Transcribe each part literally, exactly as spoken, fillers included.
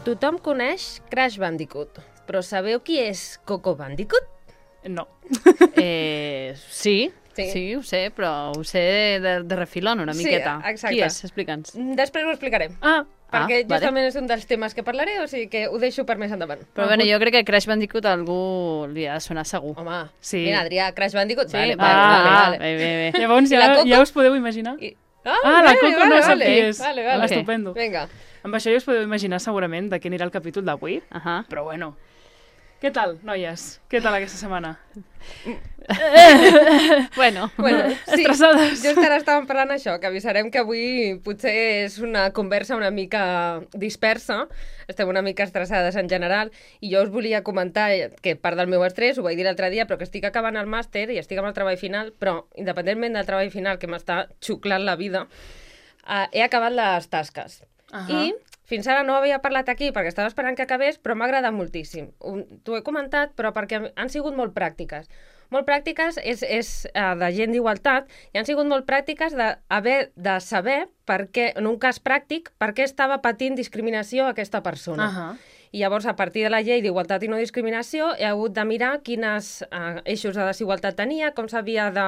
Tothom coneix Crash Bandicoot, però sabeu qui és Coco Bandicoot? No. Eh, sí, sí, sí, ho sé, però ho sé de, de refilón una miqueta. Sí, exacte. Qui és? Explica'ns. Després ho explicarem. Ah, Perquè ah, justament vale. és un dels temes que parlaré, o sigui que ho deixo per més endavant. Però bueno, jo crec que Crash Bandicoot a algú li ha de sonar segur. Home, Sí. mira, Adrià, Crash Bandicoot, Sí, vale, ah, vale, vale, ah, vale. bé, bé, bé. Llavors I ja, la Coco? ja us podeu imaginar. I... Ah, la Coco no sap vale, qui és. Vale, vale, vale. Estupendo. Vinga. Amb això ja us podeu imaginar segurament de què anirà el capítol d'avui. Ahà. Però bueno. Què tal, noies? Què tal aquesta setmana? Bueno, Bueno, sí, Estressades. just ara estàvem parlant això, que avisarem que avui potser és una conversa una mica dispersa, estem una mica estressades en general, i jo us volia comentar que part del meu estrès, ho vaig dir l'altre dia, però que estic acabant el màster i estic amb el treball final, però independentment del treball final, que m'està xuclant la vida, eh, he acabat les tasques. Ahà. I fins ara no havia parlat aquí perquè estava esperant que acabés, però m'ha agradat moltíssim. Un- T'ho he comentat, però perquè han sigut molt pràctiques. Molt pràctiques és, és uh, de gent d'igualtat i han sigut molt pràctiques d'haver de saber per què, en un cas pràctic, per què estava patint discriminació aquesta persona. Ahà. I llavors, a partir de la llei d'igualtat i no discriminació, he hagut de mirar quines eh, eixos de desigualtat tenia, com s'havia de,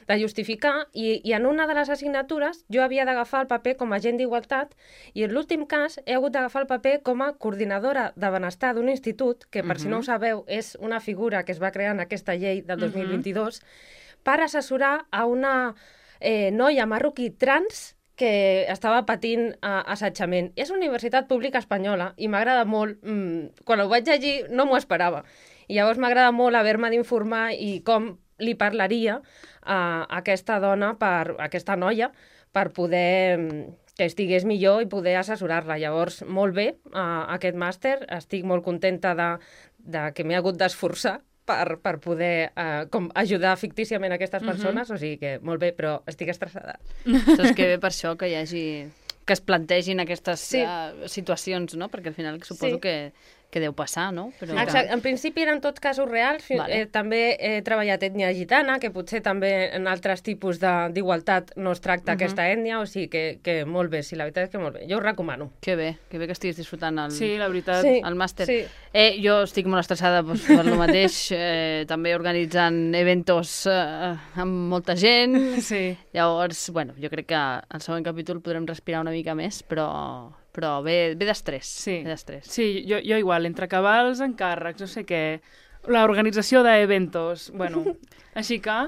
de justificar, i, i en una de les assignatures jo havia d'agafar el paper com a agent d'igualtat, i en l'últim cas he hagut d'agafar el paper com a coordinadora de benestar d'un institut, que per uh -huh. si no ho sabeu és una figura que es va crear en aquesta llei del dos mil vint-i-dos, uh -huh. per assessorar a una eh, noia marroquí trans que estava patint uh, assetjament. És una universitat pública espanyola i m'agrada molt, mm, quan ho vaig llegir no m'ho esperava. I llavors m'agrada molt haver-me d'informar i com li parlaria a aquesta dona, per, a aquesta noia, per poder mm, que estigués millor i poder assessorar-la. Llavors, molt bé, uh, aquest màster, estic molt contenta de, de que m'he hagut d'esforçar per, per poder uh, com ajudar fictíciament aquestes persones, uh -huh. o sigui que molt bé, però estic estressada. Saps que bé per això que hi hagi... que es plantegin aquestes Sí. uh, situacions, no? Perquè al final suposo Sí. que, que deu passar, no? Però... Exacte. En principi eren tots casos reals. Fi- Vale. eh, també he treballat ètnia gitana, que potser també en altres tipus de- d'igualtat no es tracta Mhm. aquesta ètnia, o sigui que, que molt bé, sí, la veritat és que molt bé. Jo ho recomano. Que bé, que bé que estiguis disfrutant el, Sí, la veritat. Sí. el màster. Sí. Eh, jo estic molt estressada doncs, per lo mateix, eh, també organitzant eventos eh, amb molta gent. Sí. Llavors, bueno, jo crec que al següent capítol podrem respirar una mica més, però, però ve, ve d'estrès. Sí. Ve d'estrès. Sí, jo, jo igual, entre acabar els encàrrecs, no sé què, l'organització d'eventos, bueno, així que...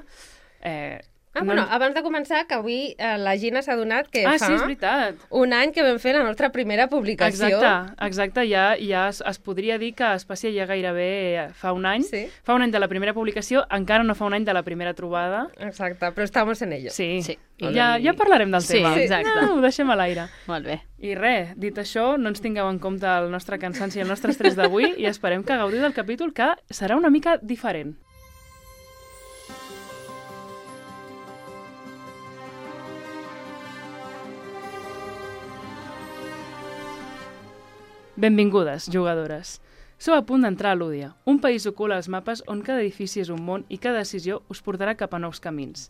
Eh, Ah, no- bueno, abans de començar, que avui eh, la Gina s'ha donat que ah, fa sí, és veritat. un any que vam fer la nostra primera publicació. Exacte, exacte, ja, ja es, es podria dir que Espècia ja gairebé fa un any. Sí. Fa un any de la primera publicació, encara no fa un any de la primera trobada. Exacte, però estamos en ello. Sí, Sí. Ja, ja parlarem del Sí, tema. exacte. No, ho deixem a l'aire. Molt bé. I res, dit això, no ens tingueu en compte el nostre cansanci i el nostre estrès d'avui i esperem que gaudiu del capítol, que serà una mica diferent. Benvingudes, jugadores. Sou a punt d'entrar a Lúdia, un país ocult als mapes on cada edifici és un món i cada decisió us portarà cap a nous camins.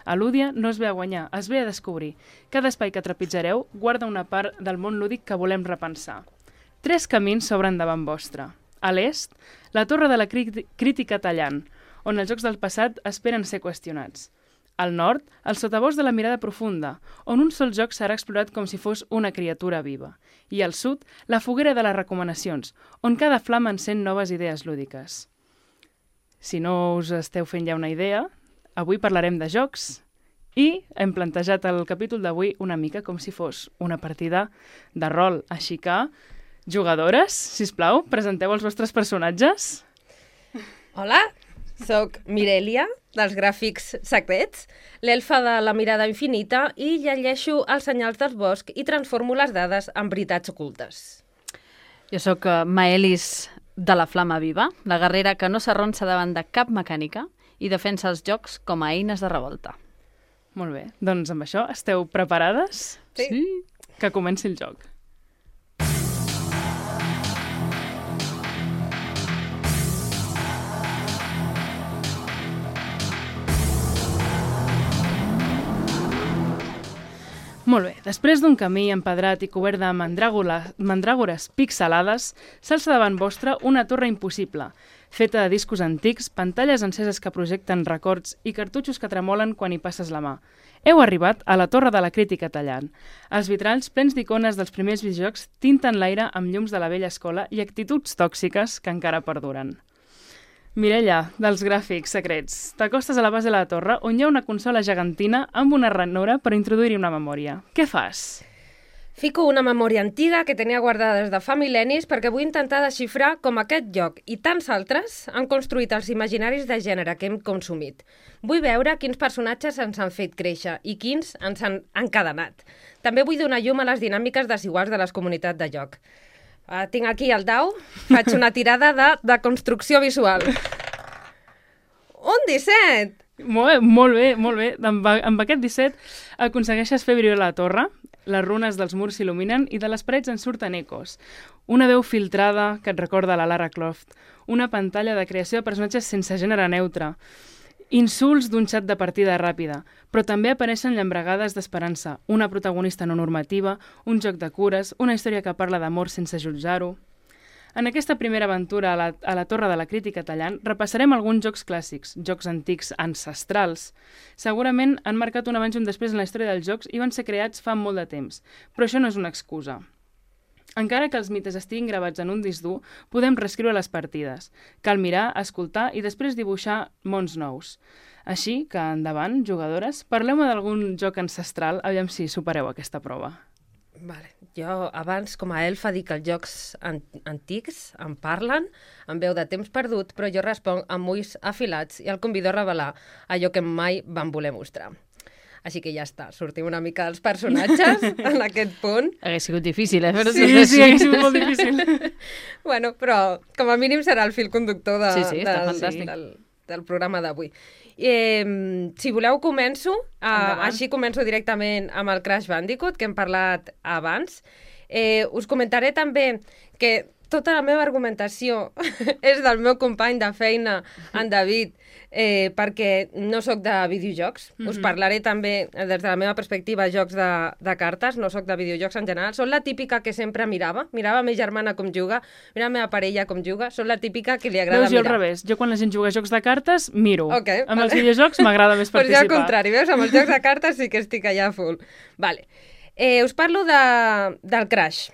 A Lúdia no es ve a guanyar, es ve a descobrir. Cada espai que trepitjareu guarda una part del món lúdic que volem repensar. Tres camins s'obren davant vostre. A l'est, la torre de la crí- crítica tallant, on els jocs del passat esperen ser qüestionats. Al nord, el sotabosc de la mirada profunda, on un sol joc serà explorat com si fos una criatura viva. I al sud, la foguera de les recomanacions, on cada flama encén noves idees lúdiques. Si no us esteu fent ja una idea, avui parlarem de jocs i hem plantejat el capítol d'avui una mica com si fos una partida de rol. Així que, jugadores, sisplau, presenteu els vostres personatges. Hola, soc Mirelia, dels gràfics secrets, l'elfa de la mirada infinita, i llegeixo els senyals del bosc i transformo les dades en veritats ocultes. Jo sóc uh, Maelis de la Flama Viva, la guerrera que no s'arronsa davant de cap mecànica i defensa els jocs com a eines de revolta. Molt bé, doncs amb això esteu preparades? Sí. Sí. Que comenci el joc. Molt bé, després d'un camí empedrat i cobert de mandràgola- mandràgores pixelades, s'alça davant vostre una torre impossible, feta de discos antics, pantalles enceses que projecten records i cartutxos que tremolen quan hi passes la mà. Heu arribat a la Torre de la Crítica tallant. Els vitralls plens d'icones dels primers videojocs tinten l'aire amb llums de la vella escola i actituds tòxiques que encara perduren. Mireia, dels gràfics secrets, t'acostes a la base de la torre on hi ha una consola gegantina amb una ranura per introduir-hi una memòria. Què fas? Fico una memòria antiga que tenia guardada des de fa mil·lennis perquè vull intentar desxifrar com aquest joc i tants altres han construït els imaginaris de gènere que hem consumit. Vull veure quins personatges ens han fet créixer i quins ens han encadenat. També vull donar llum a les dinàmiques desiguals de les comunitats de joc. Uh, tinc aquí el dau, faig una tirada de, de construcció visual. Un disset! Molt bé, molt bé, molt bé. Amb, amb aquest disset aconsegueixes fer brillar la torre, les runes dels murs s'il·luminen i de les parets en surten ecos. Una veu filtrada que et recorda la Lara Croft, una pantalla de creació de personatges sense gènere neutre, insults d'un xat de partida ràpida, però també apareixen llambregades d'esperança, una protagonista no normativa, un joc de cures, una història que parla d'amor sense jutjar-ho. En aquesta primera aventura a la, a la Torre de la Crítica tallant repassarem alguns jocs clàssics, jocs antics ancestrals. Segurament han marcat un abans i un després en la història dels jocs i van ser creats fa molt de temps, però això no és una excusa. Encara que els mites estiguin gravats en un disc dur, podem reescriure les partides. Cal mirar, escoltar i després dibuixar mons nous. Així que, endavant, jugadores, parleu-me d'algun joc ancestral, aviam si supereu aquesta prova. Vale. Jo abans, com a elfa, dic que els jocs an antics em parlen, em veu de temps perdut, però jo responc amb ulls afilats i el convido a revelar allò que mai van voler mostrar. Així que ja està, sortim una mica dels personatges en aquest punt. Hauria sigut difícil, eh? Sí, sí, sí, hauria sigut molt difícil. Bueno, però com a mínim serà el fil conductor de, sí, sí, del, fantàstic. del, del programa d'avui. Eh, si voleu començo, eh, així començo directament amb el Crash Bandicoot, que hem parlat abans. Eh, us comentaré també que tota la meva argumentació és del meu company de feina, en David, eh, perquè no sóc de videojocs. Mm-hmm. Us parlaré també, des de la meva perspectiva, jocs de, de cartes, no sóc de videojocs en general. Soc la típica que sempre mirava, mirava a ma germana com juga, mirava a la meva parella com juga, soc la típica que li agrada veus, jo mirar. al revés, jo quan la gent juga a jocs de cartes, miro. Okay, amb vale. els videojocs m'agrada més Pues participar. jo al contrari, veus? Amb els jocs de cartes sí que estic allà full. Vale. Eh, us parlo de, del Crash.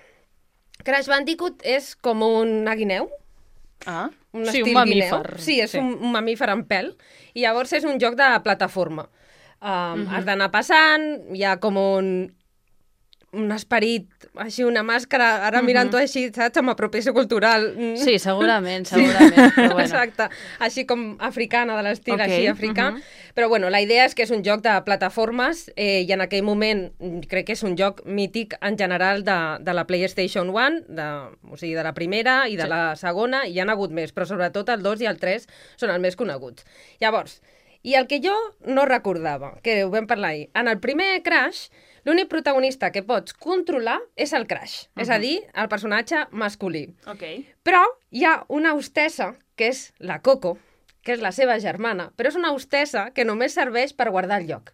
Crash Bandicoot és com una guineu. Ah, Un sí, estil un mamífer. guineu. Sí, és Sí. Un, un mamífer amb pèl. I llavors és un joc de plataforma. Um, Mhm. Has d'anar passant, hi ha com un, un esperit, així una màscara, ara mirant-ho així, saps, amb apropiació cultural. Mm. Sí, segurament, segurament. Però bueno. Exacte, així com africana, de l'estil Ok, així africà. mhm. Però bueno, la idea és que és un joc de plataformes eh, i en aquell moment mm, crec que és un joc mític en general de, de la PlayStation one, de, o sigui, de la primera i de Sí. la segona, i hi ha hagut més, però sobretot el dos i el tres són els més coneguts. Llavors, i el que jo no recordava, que ho vam parlar ahir, en el primer Crash, l'únic protagonista que pots controlar és el Crash, uh -huh. és a dir, el personatge masculí. ok. Però hi ha una hostessa, que és la Coco, que és la seva germana, però és una hostessa que només serveix per guardar el lloc.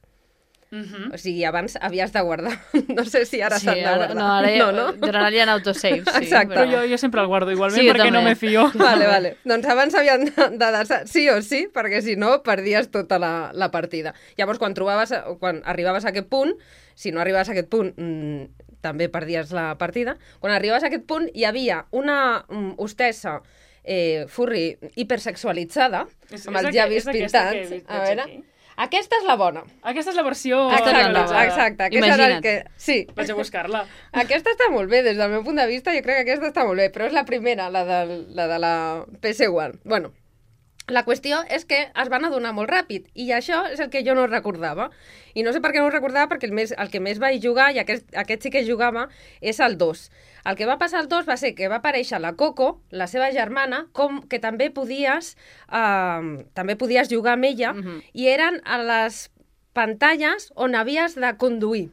Mhm. O sigui, abans havies de guardar. No sé si ara Sí, s'han de ara, guardar. no, ara ja, no, no? en general hi ha autosave, sí. Exacte. Però jo, jo sempre el guardo igualment Sí, jo perquè no també. me fio. Vale, vale. Doncs abans havien de, de desar sí o sí, perquè si no perdies tota la, la partida. Llavors, quan trobaves, quan arribaves a aquest punt, si no arribaves a aquest punt, mmm, també perdies la partida. Quan arribaves a aquest punt, hi havia una mm, hostessa eh, furry hipersexualitzada, És- amb és els aqu- llavis és aquesta que he pintats. vist, A veig veure, aquí. aquesta és la bona. Aquesta és la versió Aquesta és la Exacte, nova. exacte. Aquesta era el Imagina't. que... Sí. Vaig a buscar-la. Aquesta està molt bé, des del meu punt de vista, jo crec que aquesta està molt bé, però és la primera, la de la, de la P S one. Bueno, la qüestió és que es van adonar molt ràpid, i això és el que jo no recordava. I no sé per què no ho recordava, perquè el, més, el que més vaig jugar, i aquest, aquest sí que jugava, és el dos. El que va passar al dos va ser que va aparèixer la Coco, la seva germana, com que també podies, eh, també podies jugar amb ella, Mhm. i eren a les pantalles on havies de conduir.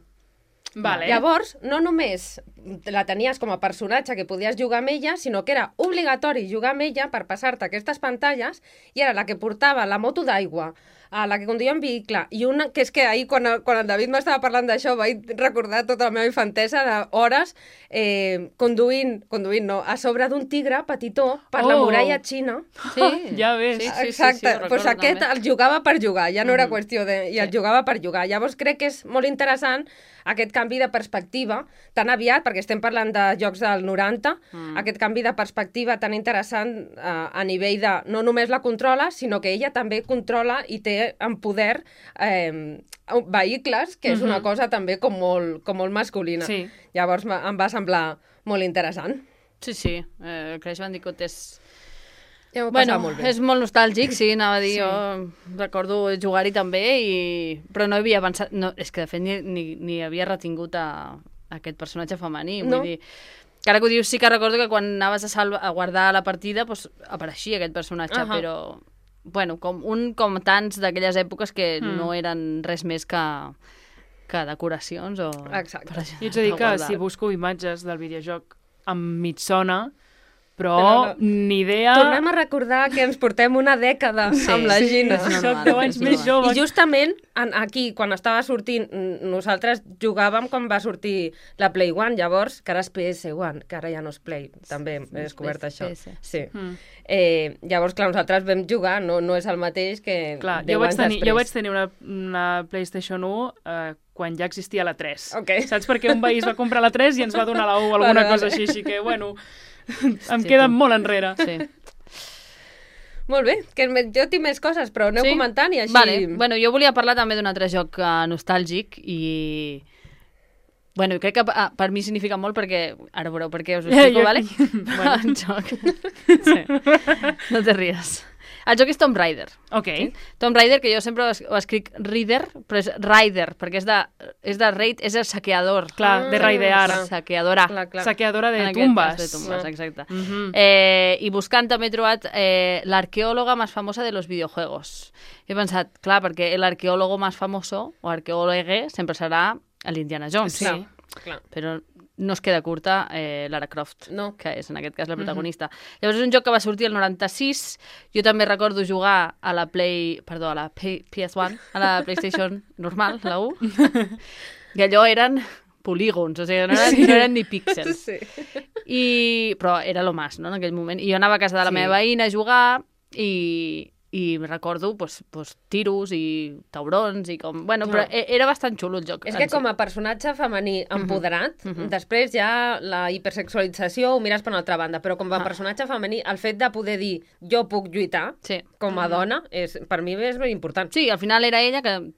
Vale. Llavors, no només la tenies com a personatge que podies jugar amb ella, sinó que era obligatori jugar amb ella per passar-te aquestes pantalles, i era la que portava la moto d'aigua, a la que conduïa en vehicle, i una que és que ahir, quan, quan el David m'estava parlant d'això, vaig recordar tota la meva infantesa d'hores eh, conduint, conduint no, a sobre d'un tigre petitó per oh. la muralla xina. Sí, ja ves. Sí, sí, Exacte, sí, sí, pues aquest també. el jugava per jugar, ja no era Mm. qüestió de... i el Sí. jugava per jugar. Llavors crec que és molt interessant aquest canvi de perspectiva tan aviat, perquè estem parlant de jocs del noranta, mm. aquest canvi de perspectiva tan interessant eh, a nivell de no només la controla, sinó que ella també controla i té en poder eh, vehicles, que és Mhm. una cosa també com molt, com molt masculina. Sí. Llavors m- em va semblar molt interessant. Sí, sí, eh, Crash Bandicoot és... Ja m'ho Bueno, passava molt bé. és molt nostàlgic, sí, anava a dir, Sí. jo recordo jugar-hi també, i... però no havia pensat... No, és que, de fet, ni, ni, ni havia retingut a, a aquest personatge femení. No. Vull dir, que ara que ho dius, sí que recordo que quan anaves a, salva, a guardar la partida, doncs, apareixia aquest personatge, Ahà. però... Bueno, com un com tants d'aquelles èpoques que Mm. no eren res més que, que decoracions o... Exacte. per I ets a dir per que guardar. si busco imatges del videojoc em mitsona, però, Però no. ni idea... Tornem a recordar que ens portem una dècada Sí, amb la sí, Gina. és normal, Soc deu anys és més normal. jove. I justament en, aquí, quan estava sortint, n- nosaltres jugàvem quan va sortir la Play One, llavors, que ara és P S One, que ara ja no és Play, també he descobert és això. P S. Sí. Mm. Eh, llavors, clar, nosaltres vam jugar, no, no és el mateix que Clar, deu jo vaig, anys tenir, després. jo vaig tenir una, una PlayStation u eh, quan ja existia la tres. Ok. Saps? Perquè un veí es va comprar la tres i ens va donar la u o alguna Vale, cosa vale. així, així que, bueno, em Hòstia, queda tu. molt enrere. Sí. Molt bé, que me- jo tinc més coses, però aneu Sí? comentant i així... Vale. Bueno, jo volia parlar també d'un altre joc uh, nostàlgic i... Bueno, crec que uh, per mi significa molt perquè... Ara veureu per què us ho explico, Jo- vale? Bueno. El joc. Sí. No te ries. El joc és Tomb Raider. Ok. Tomb Raider, que jo sempre ho es- ho escric Rider, però és Rider, perquè és de, és de raid, és el saqueador. Clar, de raidear. clar. Saqueadora. Clar, clar. Saqueadora de En aquest tumbes. cas, de tumbes, Ah. exacte. Mhm. Eh, I buscant també he trobat eh, l'arqueòloga més famosa de los videojuegos. He pensat, clar, perquè l'arqueòlogo més famoso, o arqueòlogue, sempre serà l'Indiana Jones. Sí. Clar, clar. Però no es queda curta eh, Lara Croft, No. que és en aquest cas la protagonista. Llavors és un joc que va sortir el noranta-sis, jo també recordo jugar a la Play, perdó, a la P- PS1, a la PlayStation normal, la U, i allò eren polígons, o sigui, no eren, Sí. no eren ni píxels. Sí. I... Però era lo más, no?, en aquell moment. I jo anava a casa de la Sí. meva veïna a jugar i, i recordo pues, pues, tiros i taurons i com... Bueno, però No. e- era bastant xulo el joc. És en que si. com a personatge femení empoderat, Mhm. després ja la hipersexualització ho mires per una altra banda, però com a Ah. personatge femení, el fet de poder dir jo puc lluitar Sí. com a dona, és, per mi és molt important. Sí, al final era ella que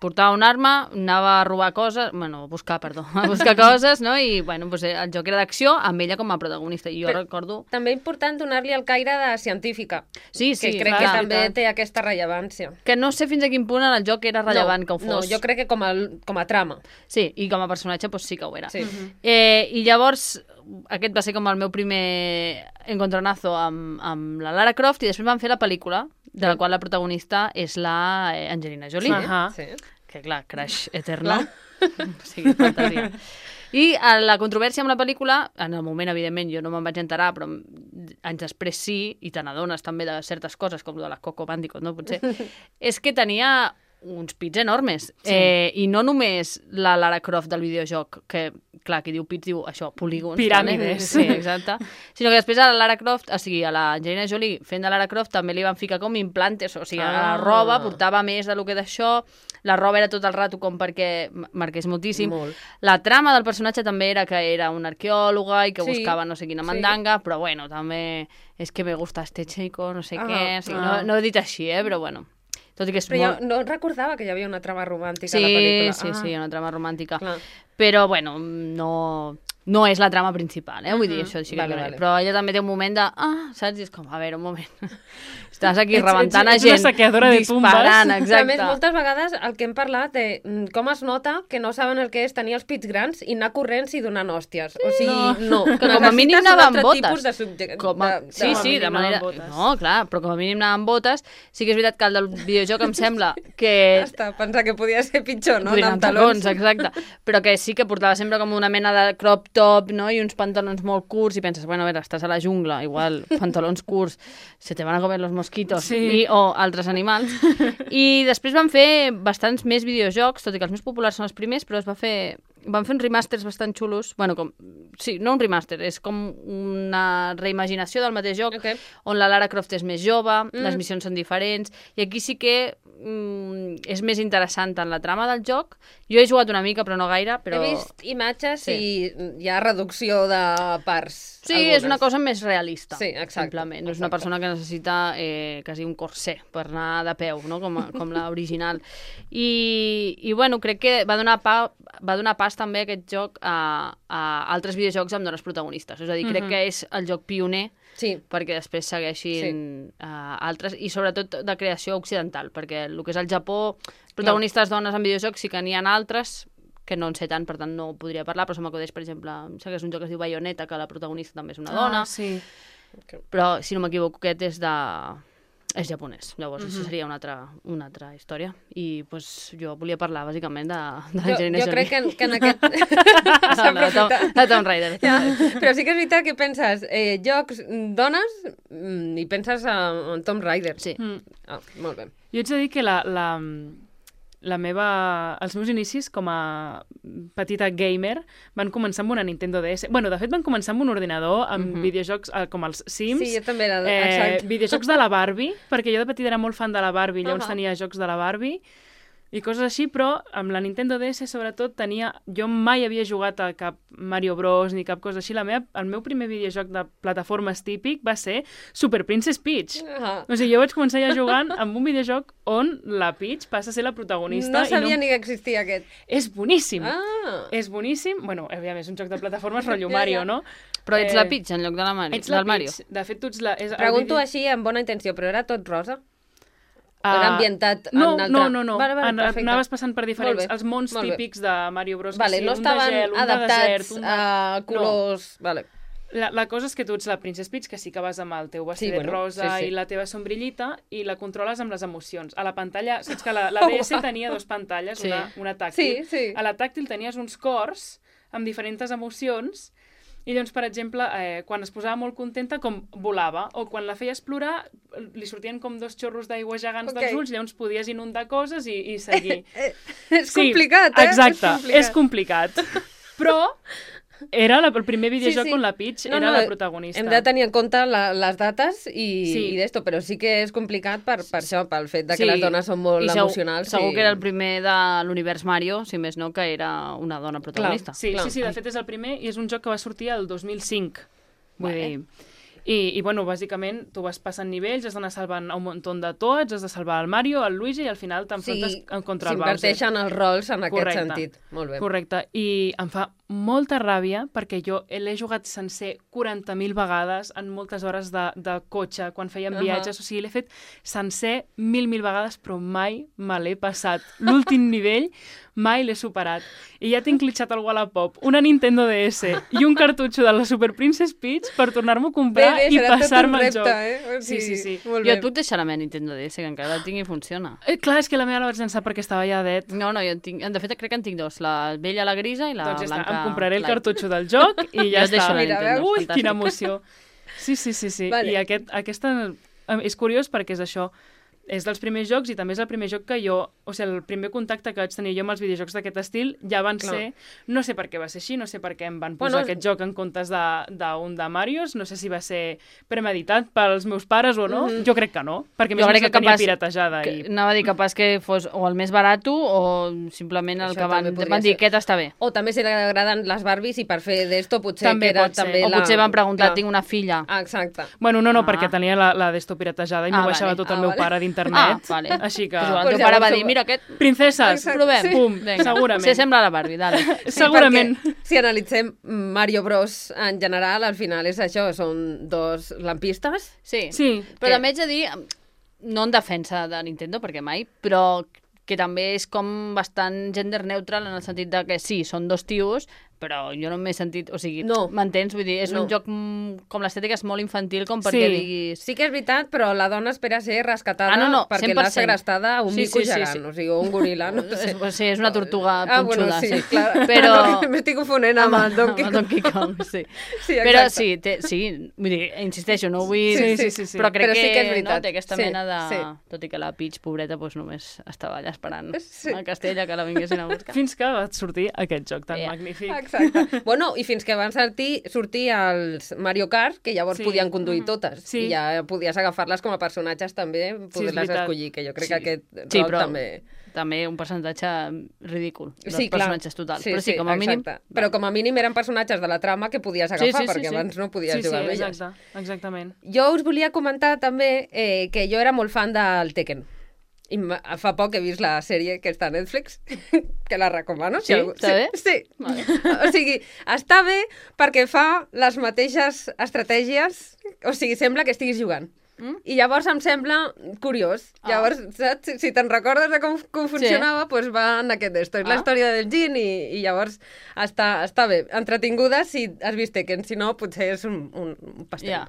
portava un arma, anava a robar coses, bueno, a buscar, perdó, a buscar coses, no? I, bueno, pues, el joc era d'acció amb ella com a protagonista. I jo Però- recordo... També important donar-li el caire de científica, Sí, sí, que crec clar, que és també veritat. té aquesta rellevància. Que no sé fins a quin punt en el joc era rellevant no, que ho fos. No, jo crec que com a, com a trama. Sí, i com a personatge pues, sí que ho era. Sí. Eh, I llavors, aquest va ser com el meu primer encontronazo amb, amb la Lara Croft, i després van fer la pel·lícula, de la qual la protagonista és la eh, Angelina Jolie. Ahà. Sí. Que clar, crash eterno. O sigui, fantasia. I a la controvèrsia amb la pel·lícula, en el moment, evidentment, jo no me'n vaig enterar, però anys després sí, i te n'adones també de certes coses, com de la Coco Bandicoot, no? Potser, és que tenia uns pits enormes. Sí. Eh, I no només la Lara Croft del videojoc, que, clar, qui diu pits diu això, polígons. Piràmides. Vale? Sí, exacte. Sinó que després a la Lara Croft, o sigui, a la Angelina Jolie fent de Lara Croft, també li van ficar com implantes, o sigui, a la Ah. roba portava més de lo que d'això, la roba era tot el rato com perquè m- marqués moltíssim. Molt. La trama del personatge també era que era una arqueòloga i que Sí, buscava no sé quina sí. mandanga, però bueno, també és que me gusta este chico, no sé Ah, què, o sigui, ah. no, no ho he dit així, eh, però bueno. Tot i que és Però molt... jo no recordava que hi havia una trama romàntica a la Sí, pel·lícula. sí, sí, una trama romàntica. Clar. Però, bueno, no, no és la trama principal, eh? Vull dir, això sí que Vale, vale, vale. Però ella també té un moment de... Ah, saps? I és com, a veure, un moment. Estàs aquí Ets- rebentant ets- a ets una gent, saqueadora de tumbes. disparant, A exacte. més, moltes vegades el que hem parlat de mm, com es nota que no saben el que és tenir els pits grans i anar corrents i donant hòsties. O sigui, no. Que com a mínim Necessites un anava amb altre botes. tipus de subjecte. Com a... de, de, Sí, com a sí, mínim de anava manera... amb botes. No, clar, però com a mínim anava amb botes. Sí que és veritat que el del videojoc em sembla que... Hasta pensar que podia ser pitjor, no? Podria Anar anar amb tacons, exacte. Però que sí que portava sempre com una mena de crop top, no? I uns pantalons molt curts, i penses, bueno, a veure, estàs a la jungla, igual, pantalons curts, se te van a comer los mosquitos, sí. i, o altres animals. I després van fer bastants més videojocs, tot i que els més populars són els primers, però es va fer... Van fer uns remasters bastant xulos. Bueno, com... Sí, no un remaster, és com una reimaginació del mateix joc, okay. on la Lara Croft és més jove, mm. les missions són diferents, i aquí sí que mm, és més interessant en la trama del joc. Jo he jugat una mica, però no gaire. Però... He vist imatges sí. i hi ha reducció de parts. Sí, algunes. És una cosa més realista. Sí, exacte. Simplement. No és una exacte. persona que necessita eh, quasi un corsé per anar de peu, no? com, com l'original. I, I, bueno, crec que va donar, pa, va donar pas també aquest joc a, a altres videojocs amb dones protagonistes. És a dir, crec uh -huh. que és el joc pioner sí. perquè després segueixin sí. uh, altres, i sobretot de creació occidental, perquè el que és el Japó, protagonistes no. dones en videojocs sí que n'hi ha altres, que no en sé tant, per tant no podria parlar, però se m'acudeix, per exemple, sé que és un joc que es diu Bayonetta, que la protagonista també és una dona, ah, sí. però si no m'equivoco aquest és de... és japonès, llavors uh -huh. això seria una altra, una altra història. I pues, jo volia parlar bàsicament de, de l'Angelina Jolie. Jo crec que en, que en aquest... no, no, de, Tom, de Tomb Raider. Ja, però sí que és veritat que penses eh, jocs dones mm, i penses en Tomb Raider. Sí. Mm. Ah, molt bé. Jo haig de dir que la, la, la meva, els meus inicis com a petita gamer van començar amb una Nintendo D S. Bueno, de fet, van començar amb un ordinador, amb uh -huh. videojocs eh, com els Sims. Sí, jo també era... Eh, videojocs de la Barbie, perquè jo de petita era molt fan de la Barbie, llavors uh -huh. tenia jocs de la Barbie i coses així, però amb la Nintendo D S sobretot tenia... Jo mai havia jugat a cap Mario Bros ni cap cosa així. La meva, el meu primer videojoc de plataformes típic va ser Super Princess Peach. Uh-huh. O sigui, jo vaig començar ja jugant amb un videojoc on la Peach passa a ser la protagonista. No sabia i no... ni que existia aquest. És boníssim. Ah. És boníssim. Bueno, aviam, és un joc de plataformes rotllo Mario, ja, ja. no? Però ets eh... la Peach en lloc de la Mario. Ets la del Mario. Peach. De fet, tu ets la... És Pregunto vídeo... així amb bona intenció, però era tot rosa? Uh, o era ambientat no, en altre... no, no, no. Vale, vale, en, anaves passant per diferents... Els mons típics de Mario Bros. Vale, sí, no un estaven de gel, un adaptats de desert, un de... a colors... No. Vale. La, la cosa és que tu ets la Princess Peach, que sí que vas amb el teu vestit sí, bueno, rosa sí, sí. i la teva sombrillita, i la controles amb les emocions. A la pantalla... Saps que la, la D S tenia dues pantalles, sí. una, una tàctil. Sí, sí. A la tàctil tenies uns cors amb diferents emocions. I llavors, per exemple, eh, quan es posava molt contenta, com volava, o quan la feies plorar, li sortien com dos xorros d'aigua gegants okay. dels ulls, llavors podies inundar coses i, i seguir. És sí, complicat, eh? Exacte, és complicat. és complicat. Però era la, el primer videojoc sí, sí. on la Peach no, era no, la protagonista. Hem de tenir en compte la, les dates i, sí. i d'esto, però sí que és complicat per, per això, pel fet de que sí. les dones són molt I segur, emocionals. Segur i... que era el primer de l'univers Mario, si més no, que era una dona protagonista. Clar, sí, Clar. sí, sí, de fet és el primer i és un joc que va sortir el dos mil cinc. Vull vale. dir... I, i, bueno, bàsicament, tu vas passant nivells, has d'anar salvant un munt de tots, has de salvar el Mario, el Luigi, i al final t'enfrontes sí, contra el Bowser. s'inverteixen els rols en Correcte. aquest sentit. Molt bé. Correcte. I em fa molta ràbia perquè jo l'he jugat sencer quaranta mil vegades en moltes hores de, de cotxe, quan fèiem viatges. Uh -huh. O sigui, l'he fet sencer mil, mil vegades, però mai me l'he passat. L'últim nivell mai l'he superat. I ja tinc glitchat el Wallapop, una Nintendo D S i un cartutxo de la Super Princess Peach per tornar-m'ho a comprar bé, bé, i passar-me el joc. Eh? Sí, sí, sí. Jo et puc deixar la meva Nintendo D S, que encara la tinc i funciona. Eh, clar, és que la meva la vaig llançar perquè estava ja det. No, no, jo en tinc... De fet, crec que en tinc dos. La vella, la grisa, i la doncs ja blanca... Està. Em compraré el light. cartutxo del joc i ja jo et està. deixo la Nintendo. Ui, fantàstic. quina emoció. Sí, sí, sí, sí. Vale. I aquest, aquesta... És curiós perquè és això... És dels primers jocs i també és el primer joc que jo... O sigui, el primer contacte que vaig tenir jo amb els videojocs d'aquest estil ja van Clar. ser... No sé per què va ser així, no sé per què em van posar bueno, aquest joc en comptes d'un de, de Marios, no sé si va ser premeditat pels meus pares o no. Mm -hmm. Jo crec que no, perquè més o menys la tenia piratejada. Que, i... Anava a dir capaç que fos o el més barat o simplement el Això que van, van dir, aquest està bé. O també si li agraden les Barbies i per fer d'esto potser també que era pot ser. també O la... potser van preguntar, Clar. tinc una filla. Ah, exacte. Bueno, no, no, Ah. perquè tenia la, la d'esto piratejada i Ah, m'ho baixava vale. tot el Ah, meu vale. pare d'internet. Ah, vale. Així que... Pues igual, Pues el teu pare va llavors- dir, mira aquest, Princeses, Exacte. provem. Sí. pum, Vinga. segurament. Se sembla a la Barbie, dale. Sí, segurament. perquè si analitzem Mario Bros en general, al final és això, són dos lampistes. Sí, Sí. però Que- també haig de dir, no en defensa de Nintendo, perquè mai, però que també és com bastant gender neutral en el sentit de que sí, són dos tios, però jo no m'he sentit... O sigui, No. m'entens? Vull dir, és No. un joc mm, com l'estètica és molt infantil com perquè Sí. diguis... Sí que és veritat, però la dona espera ser rescatada Ah, no, no, perquè cent l'ha per cent. segrestada a un Sí, mico sí, sí, gegant, sí. o sigui, un goril·la, no sé. És, sí, és una tortuga Ah, bueno, punxuda, sí, sí. clar. Però... M'estic confonent amb el Donkey Amb el Kong. Donkey Kong, sí. Sí, Però exacte. sí, té, sí, vull dir, insisteixo, no vull... Sí, sí, sí, sí. Però crec Però sí que és no, veritat. té aquesta Sí, mena de... sí. Tot i que la Peach, pobreta, doncs només estava allà esperant Sí. a Castella que la vinguessin a buscar. Fins que va sortir aquest joc tan Ja. magnífic. Exacte. Bueno, i fins que van sortir, sortir els Mario Kart, que llavors Sí. podien conduir totes. Sí. I ja podies agafar-les com a personatges també, poder-les veritat. escollir, que jo crec Sí. que aquest Sí, rol però també... també un percentatge ridícul dels Sí, clar. personatges totals. Sí, Però sí, sí, com a mínim... exacte. Però com a mínim eren personatges de la trama que podies agafar, sí, sí, perquè sí. abans no podies Sí, sí, jugar amb elles. exacte, exactament. Jo us volia comentar també eh, que jo era molt fan del Tekken. I ma- fa poc he vist la sèrie que està a Netflix, que la recomano. Sí? Està sí, bé? Sí. Vale. O sigui, està bé perquè fa les mateixes estratègies, o sigui, sembla que estiguis jugant. Mm? I llavors em sembla curiós. Ah. Llavors, saps? Si- si te'n recordes de com, com funcionava, doncs va en aquest d'esto. És la Ah. història del Jin i, i llavors està, està bé. Entretinguda si has vist Tekken, si no, potser és un, un, un pastel. Ja.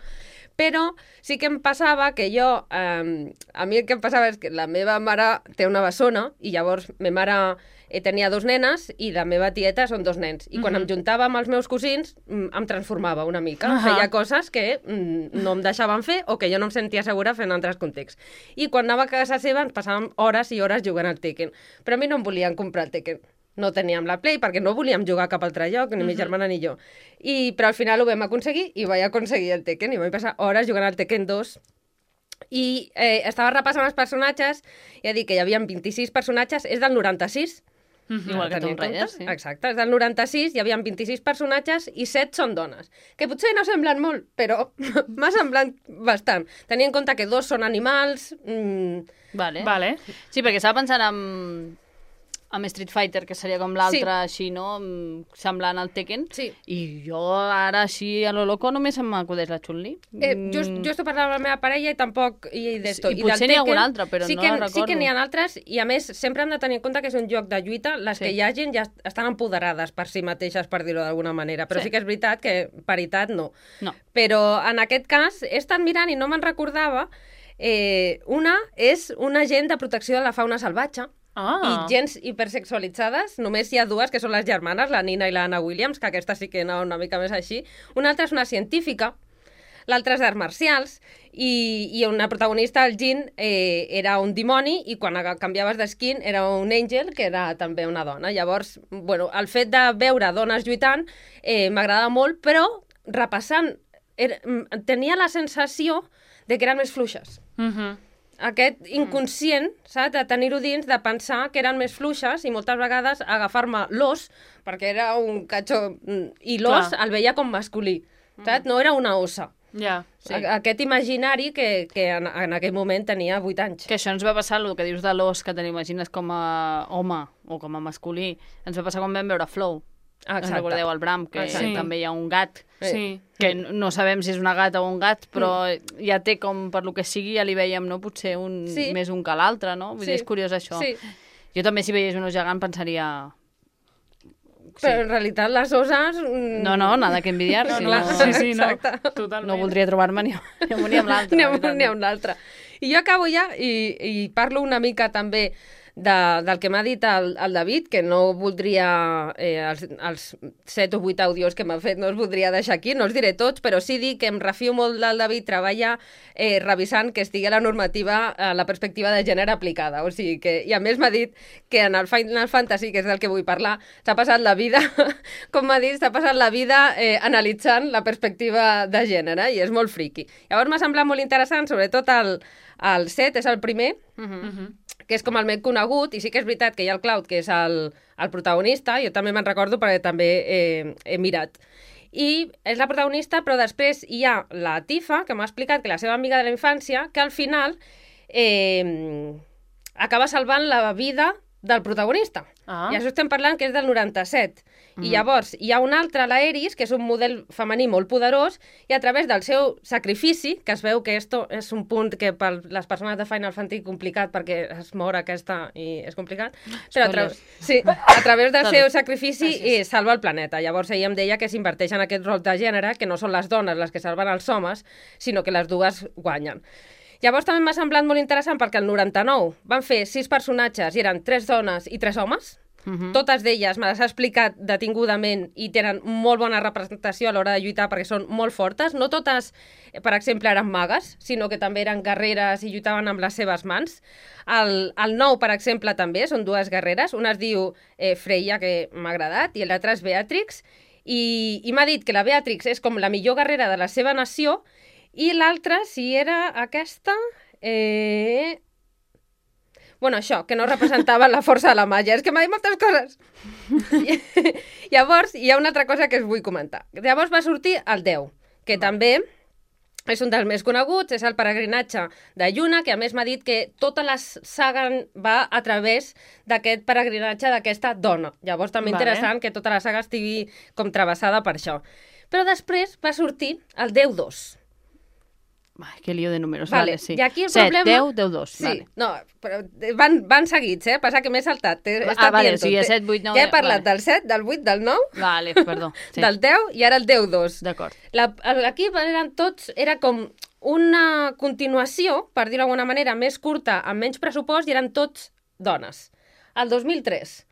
Però sí que em passava que jo... Eh, a mi el que em passava és que la meva mare té una bessona i llavors ma mare eh, tenia dos nenes i la meva tieta són dos nens. I quan Mhm. em juntava amb els meus cosins mm, em transformava una mica. Ahà. Feia coses que mm, no em deixaven fer o que jo no em sentia segura fent en altres contexts. I quan anava a casa seva ens passàvem hores i hores jugant al Tekken. Però a mi no em volien comprar el Tekken. No teníem la Play perquè no volíem jugar a cap altre lloc, ni mi germana ni jo. I, però al final ho vam aconseguir i vaig aconseguir el Tekken i vaig passar hores jugant al Tekken dos i eh, estava repassant els personatges i he dit que hi havia vint-i-sis personatges, és del noranta-sis. Igual que Tenir en Tomb Raider, compte. sí. Exacte, és del noranta-sis, hi havia vint-i-sis personatges i set són dones, que potser no semblen molt, però m'ha semblat bastant. Tenint en compte que dos són animals... Mm, Vale. Vale. Sí, perquè estava pensant en, amb Street Fighter, que seria com l'altre, Sí. així, no? Mm, Semblant al Tekken. sí. I jo ara, així, a lo loco, només em m'acudeix la Chun-Li. Eh, just, jo estic parlant amb la meva parella i tampoc... I, d'esto. I del potser n'hi ha algun Tekken, altre, però sí no que, la Sí que recordo. n'hi ha altres, i a més, sempre hem de tenir en compte que és un joc de lluita, les Sí. que hi ha gent ja estan empoderades per si mateixes, per dir-ho d'alguna manera, però Sí. sí. que és veritat que paritat no. No. Però en aquest cas he estat mirant i no me'n recordava, eh, una és un agent de protecció de la fauna salvatge, Ah. i gens hipersexualitzades, només hi ha dues, que són les germanes, la Nina i l'Anna Williams, que aquesta sí que anava una mica més així. Una altra és una científica, l'altra és d'arts marcials, i, i una protagonista, el Jin, eh, era un dimoni, i quan aga- canviaves d'esquin era un àngel, que era també una dona. Llavors, bueno, el fet de veure dones lluitant eh, m'agradava molt, però repassant, era, mm, tenia la sensació de que eren més fluixes. Mhm. Aquest inconscient, saps, de tenir-ho dins, de pensar que eren més fluixes i moltes vegades agafar-me l'os, perquè era un catxó, mm, i l'os Clar. el veia com masculí, saps? No era una ossa. Ja. Sí. A- Aquest imaginari que, que en, en aquell moment tenia vuit anys. Que això ens va passar, el que dius de l'os, que te l'imagines com a home o com a masculí, ens va passar quan vam veure Flow. Ah, Us recordeu el Bram, que Exacte. Sí. també hi ha un gat, Sí. que n- no sabem si és una gata o un gat, però ja té com, per lo que sigui, ja li veiem, no? Potser un, Sí. més un que l'altre, no? Vull Sí. dir, és curiós això. Sí, Jo també, si veiés un os gegant, pensaria... però en realitat les osses... mm, No, no, nada que envidiar. No, si clar. no, Sí, sí, no. Exacte. Totalment. no voldria trobar-me ni, ni amb un ni amb l'altre. N'hi la ha, veritat. n'hi ha un altre. I jo acabo ja i, i parlo una mica també de, del que m'ha dit el, el David, que no voldria, eh, els, els set o vuit àudios que m'ha fet, no els voldria deixar aquí, no els diré tots, però sí dir que em refio molt del David, treballa eh, revisant que estigui la normativa a la perspectiva de gènere aplicada. O sigui que, i a més m'ha dit que en el Final Fantasy, que és del que vull parlar, s'ha passat la vida, com m'ha dit, s'ha passat la vida eh, analitzant la perspectiva de gènere, i és molt friqui. Llavors m'ha semblat molt interessant, sobretot el, el set, és el primer, Mhm. Mhm. que és com el més conegut, i sí que és veritat que hi ha el Cloud, que és el, el protagonista, jo també me'n recordo perquè també eh, he mirat. I és la protagonista, però després hi ha la Tifa, que m'ha explicat que la seva amiga de la infància, que al final eh, acaba salvant la vida del protagonista. Ah. I això estem parlant que és del noranta-set. Mm. I llavors hi ha un altre, la Eris, que és un model femení molt poderós, i a través del seu sacrifici, que es veu que esto és un punt que per les persones de Final Fantasy complicat, perquè es mor aquesta i és complicat, però a, tra sí, a través del seu sacrifici i salva el planeta. Llavors ella em deia que s'inverteix en aquest rol de gènere, que no són les dones les que salven els homes, sinó que les dues guanyen. Llavors també m'ha semblat molt interessant perquè el noranta-nou van fer sis personatges i eren tres dones i tres homes. Uh-huh. Totes d'elles me les ha explicat detingudament i tenen molt bona representació a l'hora de lluitar perquè són molt fortes. No totes, per exemple, eren magues, sinó que també eren guerreres i lluitaven amb les seves mans. El, el nou, per exemple, també són dues guerreres. Una es diu eh, Freya, que m'ha agradat, i l'altra és Beatrix. I, i m'ha dit que la Beatrix és com la millor guerrera de la seva nació i l'altra, si era aquesta... Eh... Bueno, això, que no representava la força de la màgia. És que m'ha dit moltes coses. Llavors, hi ha una altra cosa que us vull comentar. Llavors va sortir el deu, que també és un dels més coneguts, és el peregrinatge de Yuna, que a més m'ha dit que tota la saga va a través d'aquest peregrinatge d'aquesta dona. Llavors també vale. Interessant que tota la saga estigui com travessada per això. Però després va sortir el deu dos. Ai, que lío de números, vale, vale, sí. I aquí el set, problema... deu, deu, dos, sí, vale. No, però van, van seguits, eh? Passa que m'he saltat. He ah, vale, o sigui, set, vuit, nou... Ja he parlat vale. del set, del vuit, del nou, vale, perdó, sí. del deu i ara el deu dos. D'acord. Aquí eren tots, era com una continuació, per dir-ho d'alguna manera, més curta, amb menys pressupost, i eren tots dones. El dos mil tres,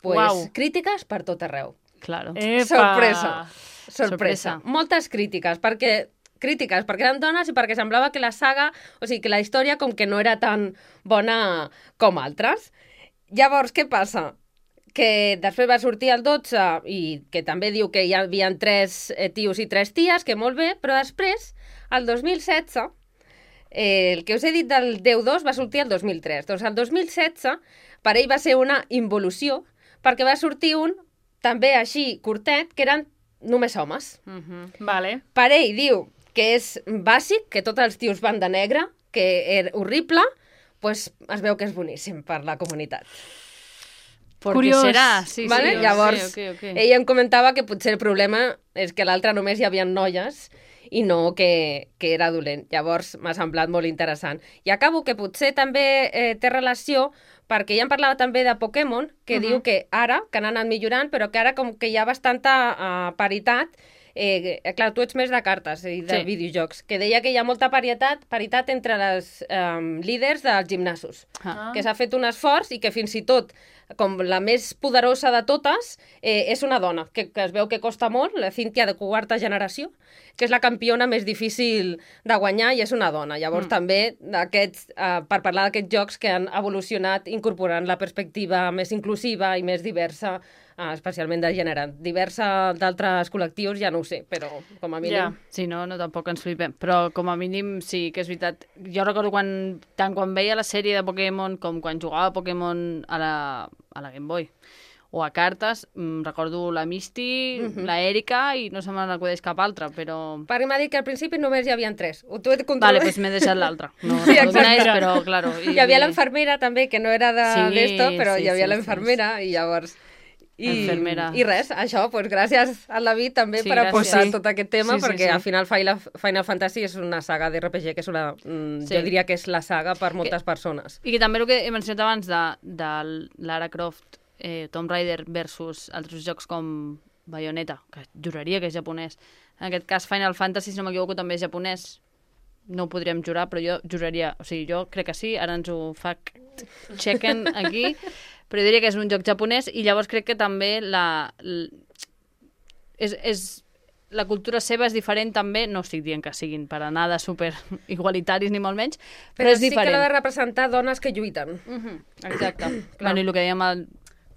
pues, Uau. Crítiques per tot arreu. Claro. Epa. Sorpresa. Sorpresa. Sorpresa. Moltes crítiques, perquè crítiques perquè eren dones i perquè semblava que la saga, o sigui, que la història com que no era tan bona com altres. Llavors, què passa? Que després va sortir el dotze i que també diu que hi havia tres tios i tres ties, que molt bé, però després, el dos mil setze, eh, el que us he dit del deu dos va sortir el dos mil tres. Doncs el dos mil setze per ell va ser una involució perquè va sortir un, també així curtet, que eren només homes. Uh-huh. Vale. Per ell diu que és bàsic, que tots els tios van de negre, que és horrible, doncs es veu que és boníssim per la comunitat. Curiós. Serà? Sí, vale? sí, Llavors, okay, okay, okay. ella em comentava que potser el problema és que l'altre només hi havia noies i no que, que era dolent. Llavors m'ha semblat molt interessant. I acabo que potser també eh, té relació perquè ja em parlava també de Pokémon, que uh-huh. diu que ara, que han anat millorant, però que ara com que hi ha bastanta uh, paritat. Eh, clar, tu ets més de cartes i de sí. videojocs, que deia que hi ha molta paritat, paritat entre les um, líders dels gimnasos, ah. que s'ha fet un esforç i que fins i tot, com la més poderosa de totes, eh, és una dona, que, que es veu que costa molt, la Cynthia de quarta generació, que és la campiona més difícil de guanyar i és una dona. Llavors mm. també aquests, eh, per parlar d'aquests jocs que han evolucionat incorporant la perspectiva més inclusiva i més diversa, Ah, especialment de gènere. Diversa d'altres col·lectius ja no ho sé, però com a mínim... Ja. Sí, no, no, tampoc ens flipem. Però com a mínim sí que és veritat. Jo recordo quan, tant quan veia la sèrie de Pokémon com quan jugava a Pokémon a la, a la Game Boy o a cartes, mm, recordo la Misty, uh-huh. la Erika i no se me n'acudeix cap altra, però... Perquè m'ha dit que al principi només hi havia tres. T'ho he de vale, doncs m'he deixat l'altra. No, sí, no és, però, claro... I... Hi havia l'enfermera també, que no era d'esto, de, sí, però sí, hi havia sí, l'enfermera sí. I llavors... I, Enfermera. I res, això, doncs gràcies al David també sí, per apostar sí. tot aquest tema, sí, sí, perquè sí. al final Final, Final Fantasy és una saga d'R P G que és una... Mm, sí. Jo diria que és la saga per moltes que, persones. I que també el que he mencionat abans de, de Lara Croft, eh, Tomb Raider versus altres jocs com Bayonetta, que juraria que és japonès. En aquest cas Final Fantasy, si no m'equivoco, també és japonès. No ho podríem jurar, però jo juraria... O sigui, jo crec que sí, ara ens ho fact-checken aquí... però jo diria que és un joc japonès i llavors crec que també la, la, és, és, la cultura seva és diferent també, no estic dient que siguin per a nada super igualitaris ni molt menys, però, però és sí diferent. Però sí que l'ha de representar dones que lluiten. Uh-huh. Exacte. Bueno, i el que dèiem... El...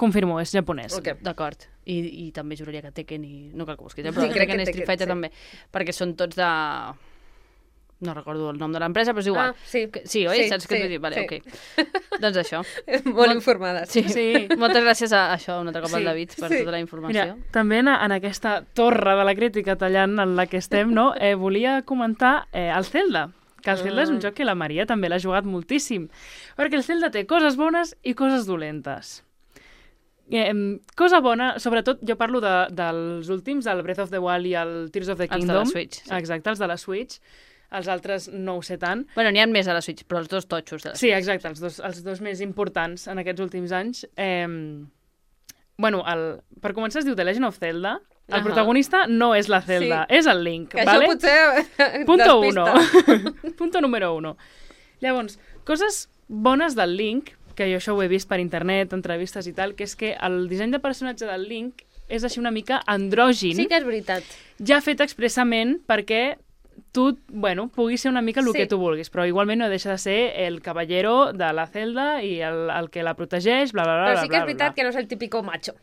Confirmo, és japonès. Okay. D'acord. I, I també juraria que Tekken i... No cal que busquis, eh? Però sí, Tekken i Street Tekken, Fighter sí. també, perquè són tots de... No recordo el nom de l'empresa, però és igual. Ah, sí. Sí, oi? Sí, Saps què sí, et vull dir? Vale, sí. ok. Doncs això. Molt, Molt informades. Sí. sí. Moltes gràcies a això, un altre cop sí. al David, per sí. tota la informació. Mira, també en, en aquesta torre de la crítica tallant en la que estem, no? eh, volia comentar eh, el Zelda, que el Zelda és un joc que la Maria també l'ha jugat moltíssim, perquè el Zelda té coses bones i coses dolentes. Eh, cosa bona, sobretot jo parlo de, dels últims, el Breath of the Wild i el Tears of the Kingdom. Els de la Switch. Sí. Exacte, els de la Switch. Els altres no ho sé tant. Bueno, n'hi ha més a la Switch, però els dos totxos de la Switch. Sí, exacte, els dos, els dos més importants en aquests últims anys. Eh, bueno, el, per començar es diu The Legend of Zelda. El uh-huh. protagonista no és la Zelda, sí. és el Link. Que vale? això potser Punto uno. Punto número uno. Llavors, coses bones del Link, que jo això ho he vist per internet, entrevistes i tal, que és que el disseny de personatge del Link és així una mica andrògin. Sí que és veritat. Ja fet expressament perquè tu, bueno, puguis ser una mica el sí. que tu vulguis, però igualment no deixa de ser el caballero de la Zelda i el, el que la protegeix, bla, bla, bla, però sí que és veritat bla. que no és el típico macho.